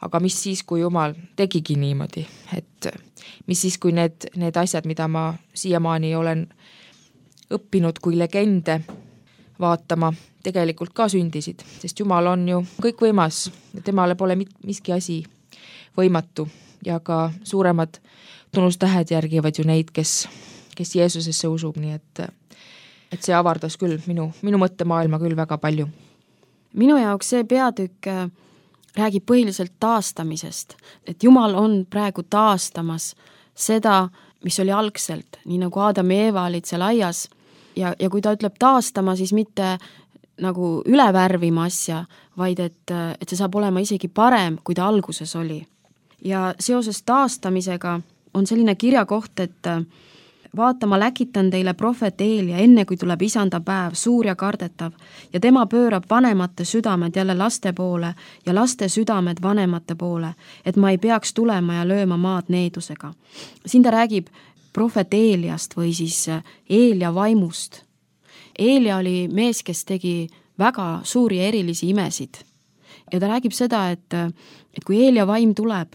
aga mis siis, kui Jumal tegigi niimoodi, et mis siis, kui need asjad, mida ma siiamaani olen õppinud kui legende vaatama, tegelikult ka sündisid, sest Jumal on ju kõikvõimas, temale pole miski asi võimatu ja ka suuremad tunnustähed järgivad ju neid, kes Jeesusesse usub, nii et see avardas küll minu mõttemaailma küll väga palju. Minu jaoks see peatükk räägib põhiliselt taastamisest, et Jumal on praegu taastamas seda, mis oli algselt, nii nagu Aadam ja Eeva olid seal aias ja kui ta ütleb taastama, siis mitte nagu üle värvima asja, vaid et see saab olema isegi parem, kui ta alguses oli. Ja seoses taastamisega on selline kirjakoht, et vaata, ma läkitan teile prohvet Eelia, enne kui tuleb isanda päev, suur ja kardetav, ja tema pöörab vanemate südamed jälle laste poole ja laste südamed vanemate poole, et ma ei peaks tulema ja lööma maad needusega. Siin ta räägib prohvet Eeliast või siis Eelia vaimust. Eelia oli mees, kes tegi väga suuri erilisi imesid. Ja ta räägib seda, et kui Eelia vaim tuleb,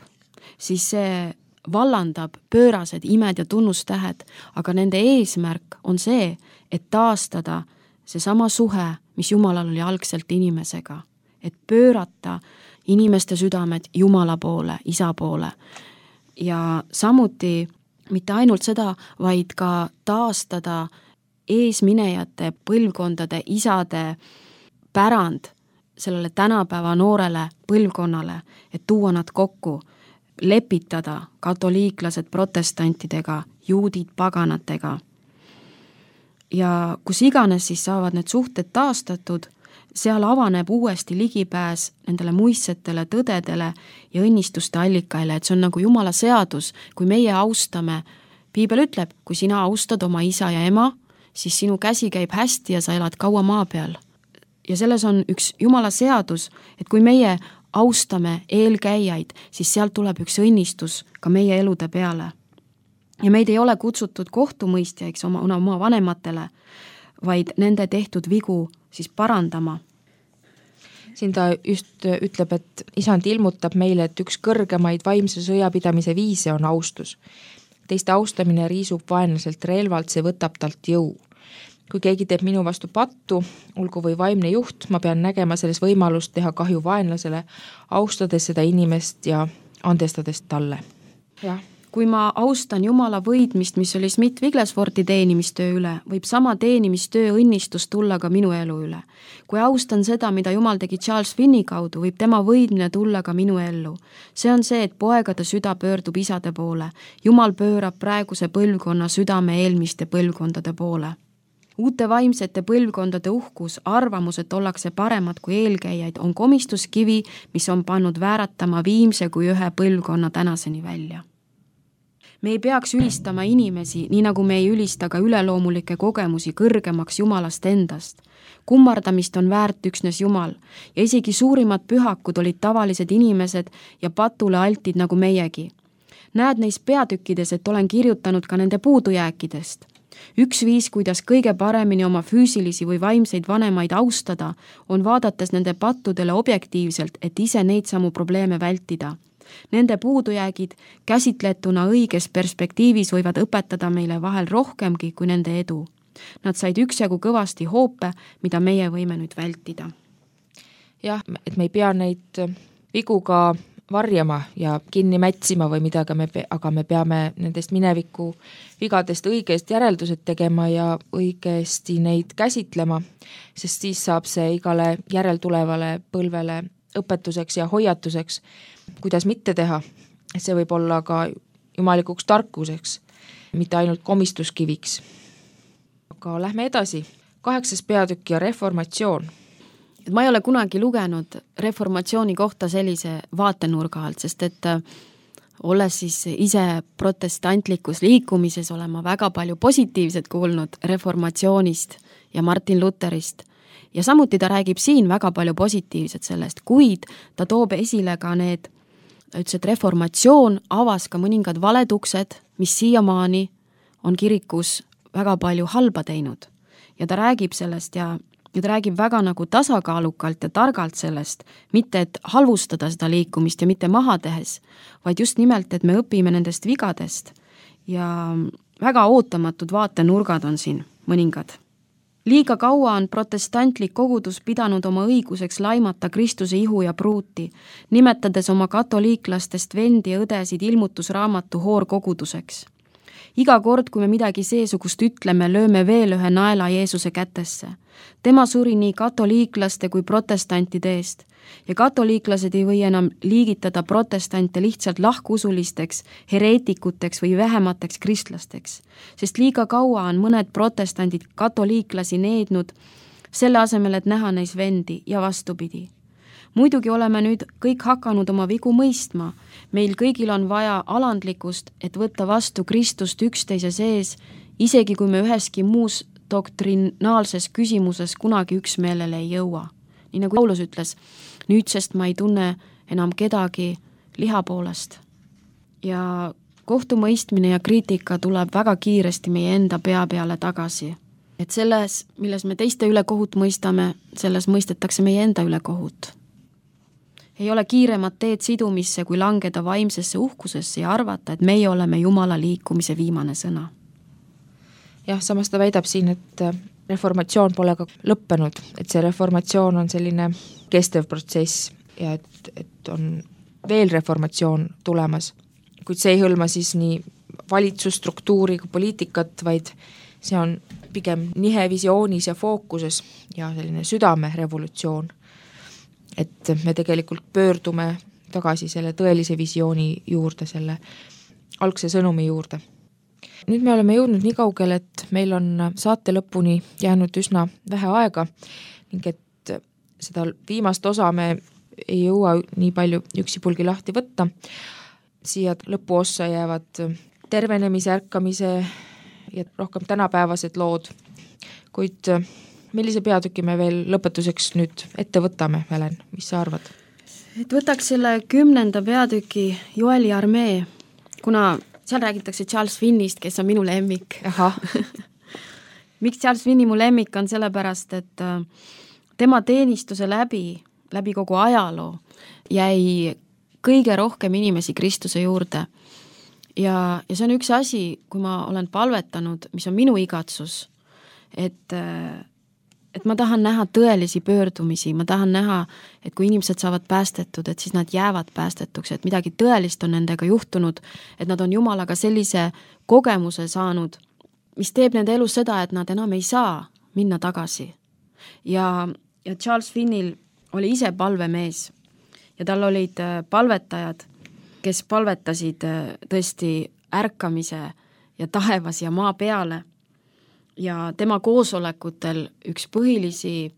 siis see vallandab pöörased imed ja tunnustähed, aga nende eesmärk on see, et taastada seesama suhe, mis Jumalal oli algselt inimesega. Et pöörata inimeste südamed Jumala poole, isa poole. Ja samuti mitte ainult seda, vaid ka taastada eesminejate põlvkondade isade pärand sellele tänapäeva noorele põlvkonnale, et tuua nad kokku, lepitada katoliiklased protestantidega, juudid paganatega. Ja kus iganes siis saavad need suhted taastatud, seal avaneb uuesti ligipääs nendele muistsetele tõdedele ja õnnistuste allikaile, et see on nagu Jumala seadus, kui meie austame. Piibel ütleb, kui sina austad oma isa ja ema, siis sinu käsi käib hästi ja sa elad kaua maa peal. Ja selles on üks Jumala seadus, et kui meie austame eelkäijaid, siis sealt tuleb üks õnnistus ka meie elude peale. Ja meid ei ole kutsutud kohtumõistjaiks oma vanematele, vaid nende tehtud vigu siis parandama. Siin ta just ütleb, et isand ilmutab meile, et üks kõrgemaid vaimse sõjapidamise viise on austus. Teiste austamine riisub vaenlaselt relvalt, see võtab talt jõu. Kui keegi teeb minu vastu pattu, olgu või vaimne juht, ma pean nägema selles võimalust teha kahju vaenlasele, austades seda inimest ja andestades talle. Jah, kui ma austan Jumala võidmist, mis oli Smith Wigglesworthi teenimistöö üle, võib sama teenimistöö õnnistus tulla ka minu elu üle. Kui austan seda, mida Jumal tegi Charles Finney kaudu, võib tema võidmine tulla ka minu ellu. See on see, et poegade süda pöördub isade poole. Jumal pöörab praeguse põlvkonna südame eelmiste põlvkondade poole. Uute vaimsete põlvkondade uhkus, arvamus, et ollakse paremad kui eelkäijaid, on komistuskivi, mis on pannud vääratama viimse kui ühe põlvkonna tänaseni välja. Me ei peaks ülistama inimesi, nii nagu me ei ülista ka üleloomulikke kogemusi kõrgemaks Jumalast endast. Kummardamist on väärt üksnes Jumal ja isegi suurimad pühakud olid tavalised inimesed ja patule altid nagu meiegi. Näed neis peatükkides, et olen kirjutanud ka nende puudujääkidest. Üks viis, kuidas kõige paremini oma füüsilisi või vaimseid vanemaid austada, on vaadates nende pattudele objektiivselt, et ise neid samu probleeme vältida. Nende puudujäägid käsitletuna õiges perspektiivis võivad õpetada meile vahel rohkemgi kui nende edu. Nad said üksjagu kõvasti hoope, mida meie võime nüüd vältida. Jah, et me ei pea neid vigu ka varjama ja kinni mätsima või midagi, aga me peame nendest mineviku vigadest õigest järeldused tegema ja õigesti neid käsitlema, sest siis saab see igale järeltulevale põlvele õpetuseks ja hoiatuseks, kuidas mitte teha. See võib olla ka jumalikuks tarkuseks, mitte ainult komistuskiviks. Aga lähme edasi. 8. peatükk ja reformatsioon. Ma ei ole kunagi lugenud reformatsiooni kohta sellise vaatenurga alt, sest et olles siis ise protestantlikus liikumises, olen ma väga palju positiivset kuulnud reformatsioonist ja Martin Lutherist. Ja samuti ta räägib siin väga palju positiivset sellest, kuid ta toob esile ka need, ütles, et reformatsioon avas ka mõningad valetuksed, mis siiamaani on kirikus väga palju halba teinud. Ja ta räägib sellest ja ta räägib väga nagu tasakaalukalt ja targalt sellest, mitte et halvustada seda liikumist ja mitte maha tehes, vaid just nimelt, et me õpime nendest vigadest ja väga ootamatud vaatenurgad on siin mõningad. Liiga kaua on protestantlik kogudus pidanud oma õiguseks laimata Kristuse ihu ja pruuti, nimetades oma katoliiklastest vendi ja õdesid ilmutusraamatu hoorkoguduseks. Iga kord, kui me midagi seesugust ütleme, lööme veel ühe naela Jeesuse kätesse. Tema suri nii katoliiklaste kui protestantide eest ja katoliiklased ei või enam liigitada protestante lihtsalt lahkusulisteks, hereetikuteks või vähemateks kristlasteks, sest liiga kaua on mõned protestandid katoliiklasi neednud selle asemel, et näha neis vendi ja vastupidi. Muidugi oleme nüüd kõik hakanud oma vigu mõistma. Meil kõigil on vaja alandlikkust, et võtta vastu Kristust üksteise sees, isegi kui me üheski muus doktrinaalses küsimuses kunagi üksmeelele ei jõua. Nii nagu Paulus ütles, nüüdsest ma ei tunne enam kedagi liha poolest. Ja kohtumõistmine ja kriitika tuleb väga kiiresti meie enda pea peale tagasi. Et selles, milles me teiste üle kohut mõistame, selles mõistetakse meie enda üle kohut. Ei ole kiiremat teed sidumisse, kui langeda vaimsesse uhkusesse ja arvata, et meie oleme Jumala liikumise viimane sõna. Jah, samas ta väidab siin, et reformatsioon pole ka lõppenud, et see reformatsioon on selline kestev protsess ja et on veel reformatsioon tulemas. Kuid see ei hõlma siis nii valitsusstruktuuri kui poliitikat, vaid see on pigem nihe visioonis ja fookuses ja selline südamerevolutsioon. Et me tegelikult pöördume tagasi selle tõelise visiooni juurde, selle algse sõnumi juurde. Nüüd me oleme jõudnud nii kaugele, et meil on saate lõpuni jäänud üsna vähe aega ning et seda viimast osa me ei jõua nii palju üksipulgi lahti võtta. Siia lõpuossa jäävad tervenemise, ärkamise ja rohkem tänapäevased lood, kuid millise peatüki me veel lõpetuseks nüüd ette võtame, Helen, mis sa arvad? Et võtaks selle 10. peatüki Joeli armee, kuna seal räägitakse Charles Finneyst, kes on minu lemmik. Miks Charles Finney mu lemmik on sellepärast, et tema teenistuse läbi kogu ajaloo jäi kõige rohkem inimesi Kristuse juurde. Ja see on üks asi, kui ma olen palvetanud, mis on minu igatsus, et et ma tahan näha tõelisi pöördumisi, ma tahan näha, et kui inimesed saavad päästetud, et siis nad jäävad päästetuks, et midagi tõelist on nendega juhtunud, et nad on Jumalaga sellise kogemuse saanud, mis teeb nende elus seda, et nad enam ei saa minna tagasi. Ja Charles Finnil oli ise palvemees ja tal olid palvetajad, kes palvetasid tõesti ärkamise ja taevas ja maa peale. Ja tema koosolekutel üks põhilisi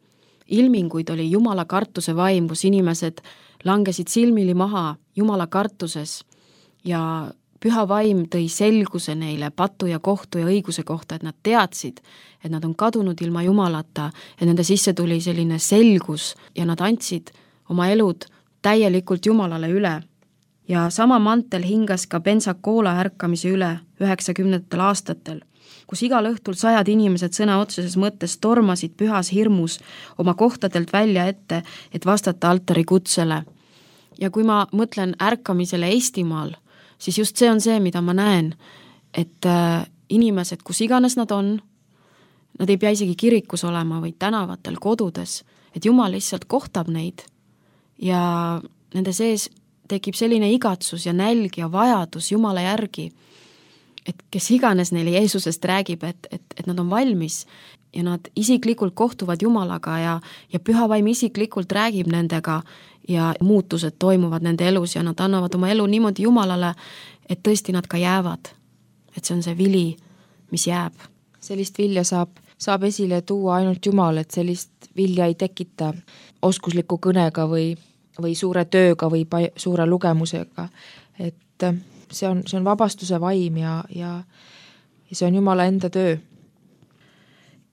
ilminguid oli Jumala kartuse vaim, kus inimesed langesid silmili maha Jumala kartuses ja püha vaim tõi selguse neile patu ja kohtu ja õiguse kohta, et nad teadsid, et nad on kadunud ilma Jumalata, et nende sisse tuli selline selgus ja nad andsid oma elud täielikult Jumalale üle. Ja sama mantel hingas ka Pensacola ärkamise üle 90. aastatel, kus igal õhtul 100 inimesed sõna otseses mõttes tormasid pühas hirmus oma kohtadelt välja ette, et vastata altari kutsele. Ja kui ma mõtlen ärkamisele Eestimaal, siis just see on see, mida ma näen, et inimesed, kus iganes nad on, nad ei pea isegi kirikus olema või tänavatel, kodudes, et Jumal lihtsalt kohtab neid ja nende sees tekib selline igatsus ja nälg ja vajadus Jumala järgi, et kes iganes neile Jeesusest räägib, et nad on valmis ja nad isiklikult kohtuvad Jumalaga ja püha vaim isiklikult räägib nendega ja muutused toimuvad nende elus ja nad annavad oma elu niimoodi Jumalale, et tõesti nad ka jäävad. Et see on see vili, mis jääb. Sellist vilja saab esile tuua ainult Jumal, et sellist vilja ei tekita oskusliku kõnega või suure tööga või suure lugemusega. Et see on vabastuse vaim ja see on Jumala enda töö.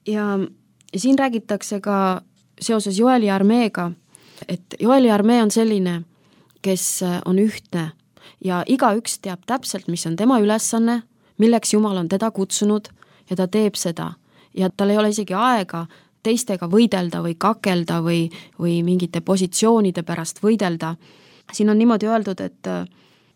Ja siin räägitakse ka seoses Joeli armeega, et Joeli armee on selline, kes on ühtne ja igaüks teab täpselt, mis on tema ülesanne, milleks Jumal on teda kutsunud ja ta teeb seda. Ja tal ei ole isegi aega teistega võidelda või kakelda või mingite positsioonide pärast võidelda. Siin on niimoodi öeldud, et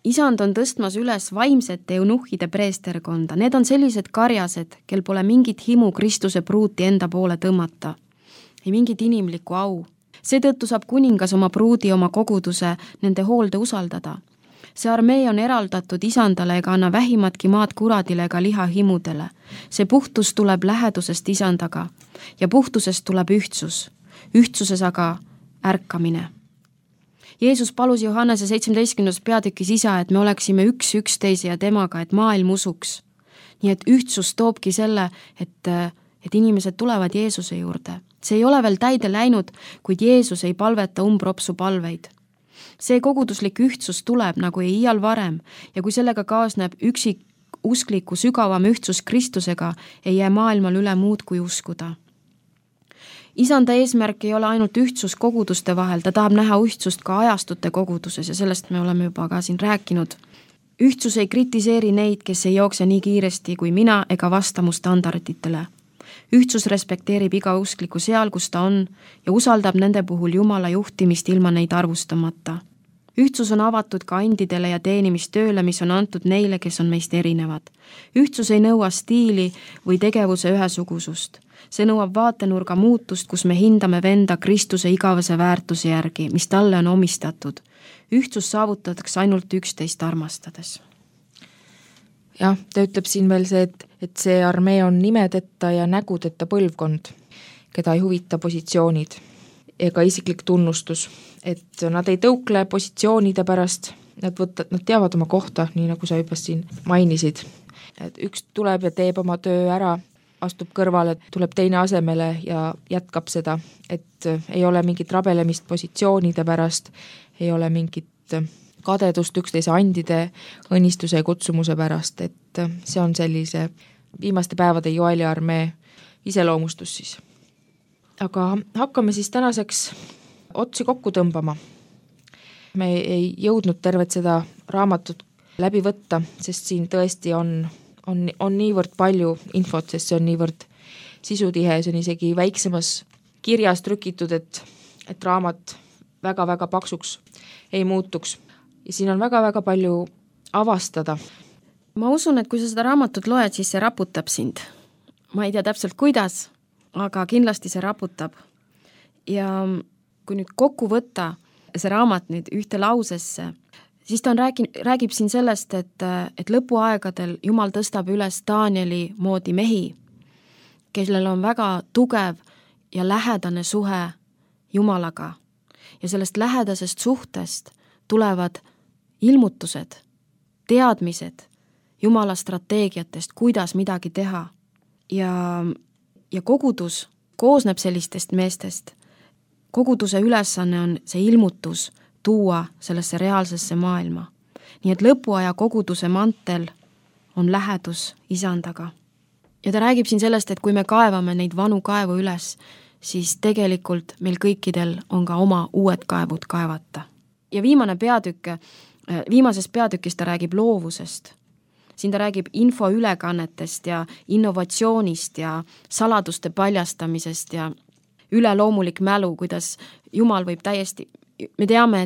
Isand on tõstmas üles vaimsete eunuhhide preesterkonda. Need on sellised karjased, kel pole mingit himu Kristuse pruuti enda poole tõmmata. Ei mingit inimlikku au. Seetõttu saab kuningas oma pruudi oma koguduse nende hoolde usaldada. See armee on eraldatud Isandale ega anna vähimatki maad kuradile ega liha himudele. See puhtus tuleb lähedusest Isandaga ja puhtusest tuleb ühtsus. Ühtsuses aga ärkamine. Jeesus palus Johannese 17. peatükis isa, et me oleksime üks üksteise ja temaga, et maailm usuks. Nii et ühtsus toobki selle, et inimesed tulevad Jeesuse juurde. See ei ole veel täide läinud, kuid Jeesus ei palveta umbropsu palveid. See koguduslik ühtsus tuleb nagu ei iial varem ja kui sellega kaasneb üksik uskliku sügavam ühtsus Kristusega, ei jää maailmal üle muud kui uskuda. Isanda eesmärk ei ole ainult ühtsus koguduste vahel, ta tahab näha ühtsust ka ajastute koguduses ja sellest me oleme juba ka siin rääkinud. Ühtsus ei kritiseeri neid, kes ei jookse nii kiiresti kui mina ega vasta mu standarditele. Ühtsus respekteerib iga uskliku seal, kus ta on ja usaldab nende puhul Jumala juhtimist ilma neid arvustamata. Ühtsus on avatud ka andidele ja teenimistööle, mis on antud neile, kes on meist erinevad. Ühtsus ei nõua stiili või tegevuse ühesugusust. See nõuab vaatenurga muutust, kus me hindame venda Kristuse igavese väärtuse järgi, mis talle on omistatud. Ühtsus saavutatakse ainult üksteist armastades. Jah, ta ütleb siin veel see, et see armee on nimedeta ja nägudeta põlvkond, keda ei huvita positsioonid ega isiklik tunnustus, et nad ei tõukle positsioonide pärast, nad teavad oma kohta, nii nagu sa juba siin mainisid. Et üks tuleb ja teeb oma töö ära, astub kõrvale, tuleb teine asemele ja jätkab seda, et ei ole mingit rabelemist positsioonide pärast, ei ole mingit kadedust üksteise andide õnnistuse ja kutsumuse pärast, et see on sellise viimaste päevade Joeli armee iseloomustus siis. Aga hakkame siis tänaseks otsi kokku tõmbama. Me ei jõudnud tervet seda raamatut läbi võtta, sest siin tõesti on niivõrd palju infot, sest see on niivõrd sisutihe, see on isegi väiksemas kirjas trükitud, et raamat väga-väga paksuks ei muutuks. Ja siin on väga-väga palju avastada. Ma usun, et kui sa seda raamatut loed, siis see raputab sind. Ma ei tea täpselt kuidas, aga kindlasti see raputab. Ja kui nüüd kokku võtta see raamat nüüd ühte lausesse, siis ta räägib siin sellest, et lõpuaegadel Jumal tõstab üles Danieli moodi mehi, kellel on väga tugev ja lähedane suhe Jumalaga. Ja sellest lähedasest suhtest tulevad ilmutused, teadmised Jumala strateegiatest, kuidas midagi teha. Ja kogudus koosneb sellistest meestest. Koguduse ülesanne on see ilmutus tuua sellesse reaalsesse maailma. Nii et lõpuaja koguduse mantel on lähedus isandaga. Ja ta räägib siin sellest, et kui me kaevame neid vanu kaevu üles, siis tegelikult meil kõikidel on ka oma uued kaevud kaevata. Ja viimases peatükis ta räägib loovusest. Siin ta räägib infoülekannetest ja innovatsioonist ja saladuste paljastamisest ja üleloomulik mälu, kuidas Jumal võib täiesti, me teame,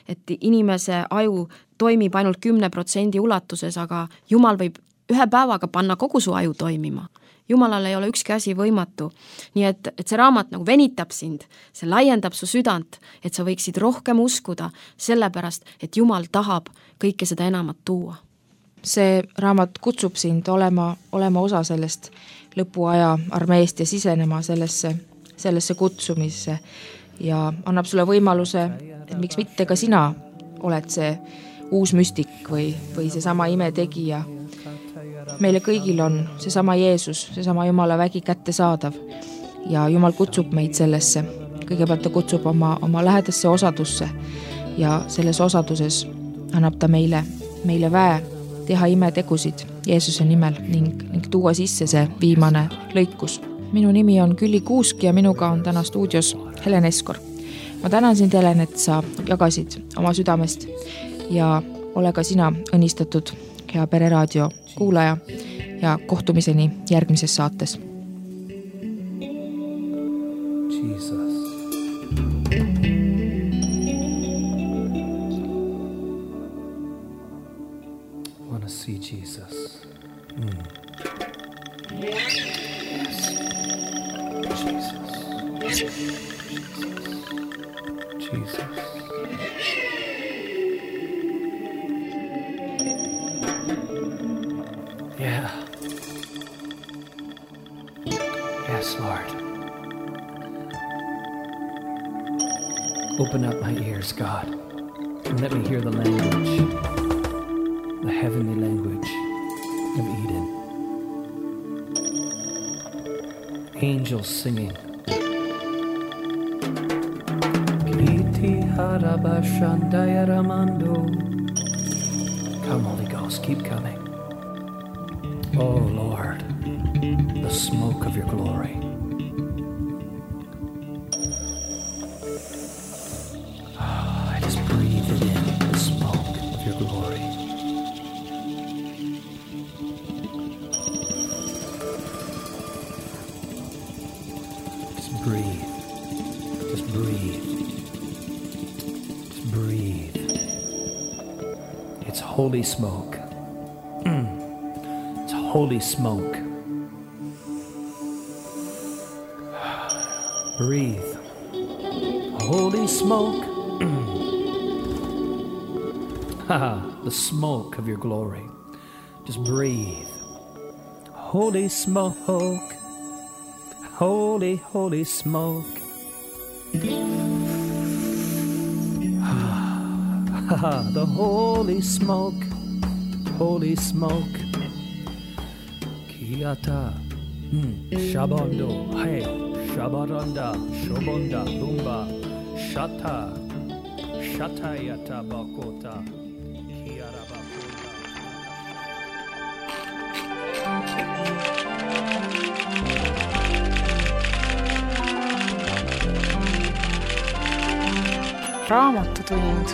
et inimese aju toimib ainult 10% ulatuses, aga Jumal võib ühe päevaga panna kogu su aju toimima. Jumalal ei ole ükski asi võimatu. Nii et see raamat nagu venitab sind, see laiendab su südant, et sa võiksid rohkem uskuda sellepärast, et Jumal tahab kõike seda enamat tuua. See raamat kutsub sind olema osa sellest lõpuaja armeest ja sisenema sellesse kutsumisse ja annab sulle võimaluse, et miks mitte ka sina oled see uus müstik või seesama imetegija. Meile kõigil on seesama Jeesus, seesama Jumala vägi kättesaadav ja Jumal kutsub meid sellesse. Kõigepealt ta kutsub oma lähedasse osadusse ja selles osaduses annab ta meile väe teha imetegusid Jeesuse nimel ning tuua sisse see viimane lõikus. Minu nimi on Külli Kuusk ja minuga on täna stuudios Helen Eskor. Ma tänan sind, Helen, et sa jagasid oma südamest ja ole ka sina õnnistatud, hea Pereraadio kuulaja ja kohtumiseni järgmises saates. Jesus. I want to see Jesus. Yes. Jesus. Yeah. Yes, Lord. Open up my ears, God, and let me hear the language, the heavenly language of Eden. Angels singing. Come, Holy Ghost, keep coming. Oh, Lord, the smoke of your glory. I just breathe it in, the smoke of your glory. Just breathe. Just breathe. Just breathe. It's holy smoke. It's holy smoke. Breathe. Holy smoke. The smoke of your glory. Just breathe. Holy smoke. Holy, holy smoke. The holy smoke. Holy smoke. Kiata. Shabondo. Hey. Shabaranda. Shobonda. Lumba. Shata. Shatayata bakota. Kiara bakota. Raamatutund.